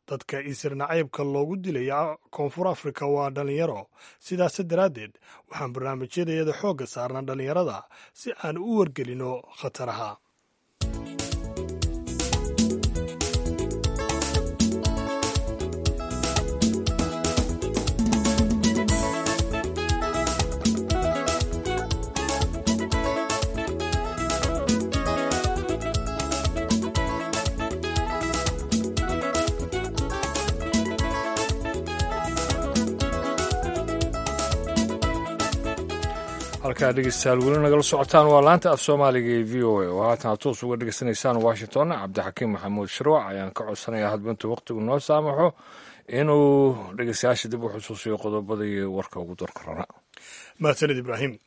Dadka isir nacaybka loogu dilaya Koonfur Afrika waa dhallinyaro. Sidaas daraaddeed waxaan barnaamijyadayada xoogga saarnaa dhallinyarada si aan u wargelino khataraha. Halkaa dhegeystayaal weli nagala socotaan waa laanta af Soomaaliga ee V O A oo haatan aad toos uga dhegeysanaysaan Washington. Cabdixakiim Maxamuud Shirwac ayaan ka codsanayaa hadba intuu waqtigu noo saamaxo Inuu dhegeystayaasha dib u xusuusiyo qodobadii warka ugu darka rana. Mahadsanid, Ibraahim.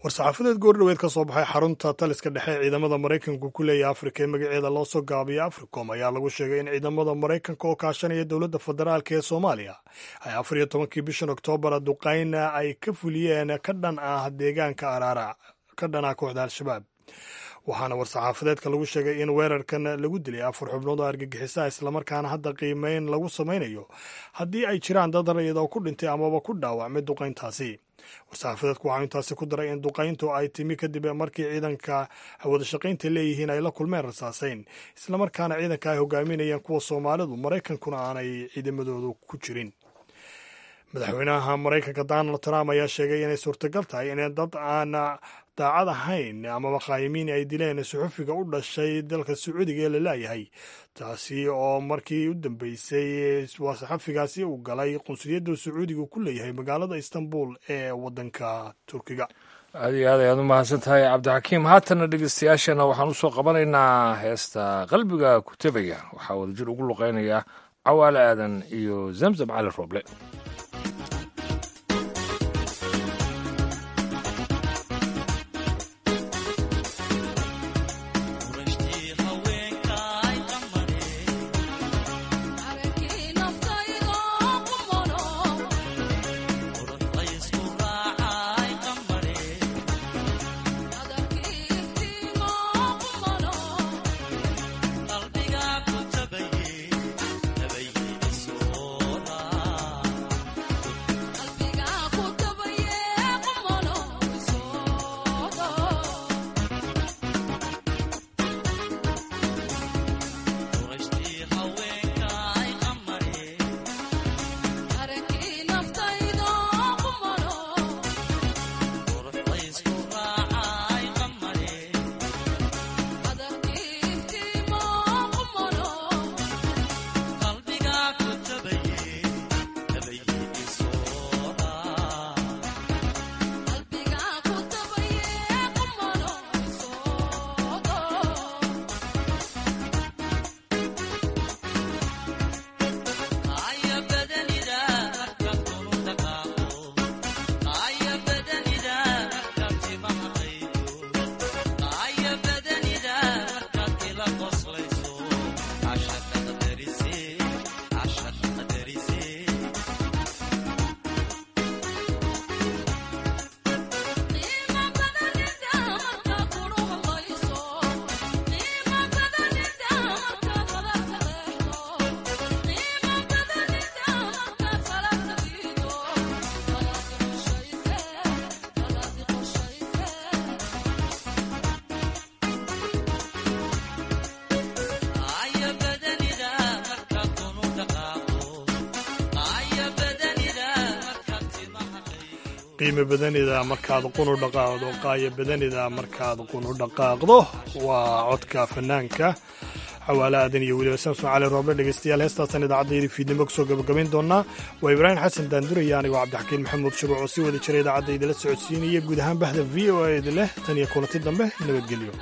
War-saxaafadeed goordhoweed ka soo baxay xarunta taliska dhexe ee ciidamada Maraykanku ku leeyahay Afrika ee magaceeda loo soo gaabiyo Africom ayaa lagu sheegay in ciidamada Maraykanka oo kaashanaya dowladda federaalka ee Soomaaliya ay afar iyo tobankii bishan Oktoobar duqayna ay ka fuliyeen ka dhan ah deegaanka Araara ka dhan ah kooxda Al-Shabaab. Waxaana war-saxaafadeedka lagu sheegay in weerarkan lagu dilay afar xubnood oo argagixisaa, islamarkaana hadda qiimeyn lagu samaynayo haddii ay jiraan dad rayid oo ku dhintay amaba ku dhaawacmay duqayntaasi. War-saxaafadeedku waxaa intaasi ku daray in duqayntu ay timi kadib markii ciidanka wadashaqaynta leeyihiin ay la kulmeen rasaasayn, islamarkaana ciidanka ay hogaaminayeen kuwa Soomaalidu, Maraykankuna aanay ciidamadoodu ku jirin. Madaxweynaha Maraykanka Donald Trump ayaa sheegay inay suurtagal tahay in dad aan daacad ahayn amaba qaayimiin ay dileen suxufiga u dhashay dalka Sacuudiga ee la laayahay, taasi oo markii u dambeysay waa saxafigaasi uu galay qunsuliyadda Sacuudiga ku leeyahay magaalada Istanbul ee wadanka Turkiga. Aad iyo aad ayaad u mahadsan tahay, Cabdixakiim. Haatana dhegeystayaashana waxaan usoo qabanaynaa heesta Qalbiga ku Tebaya. Waxaa wadajir ugu luqeynaya Cawaale Aadan iyo Zamzam Cali Rooble. Qiimo badanida markaad qunu dhaqaaqdo, qaayo badanida markaad qunu dhaqaaqdo. Waa codka fanaanka Xawaale Aadan iyo weliba Samson Cali Rooble. Dhegeystayaal, heestaasan idaacadda fiidnimo kusoo gabagabayn doonaa. Waa Ibraahim Xasan Daanduraya, anigoo Cabdixakiin Maxamuud Shuruuc oo sii wada jiray idaacadda idila socodsiinaya, guud ahaan bahda V O A idin leh tan iyo kulanti dambe, nabadgelyo.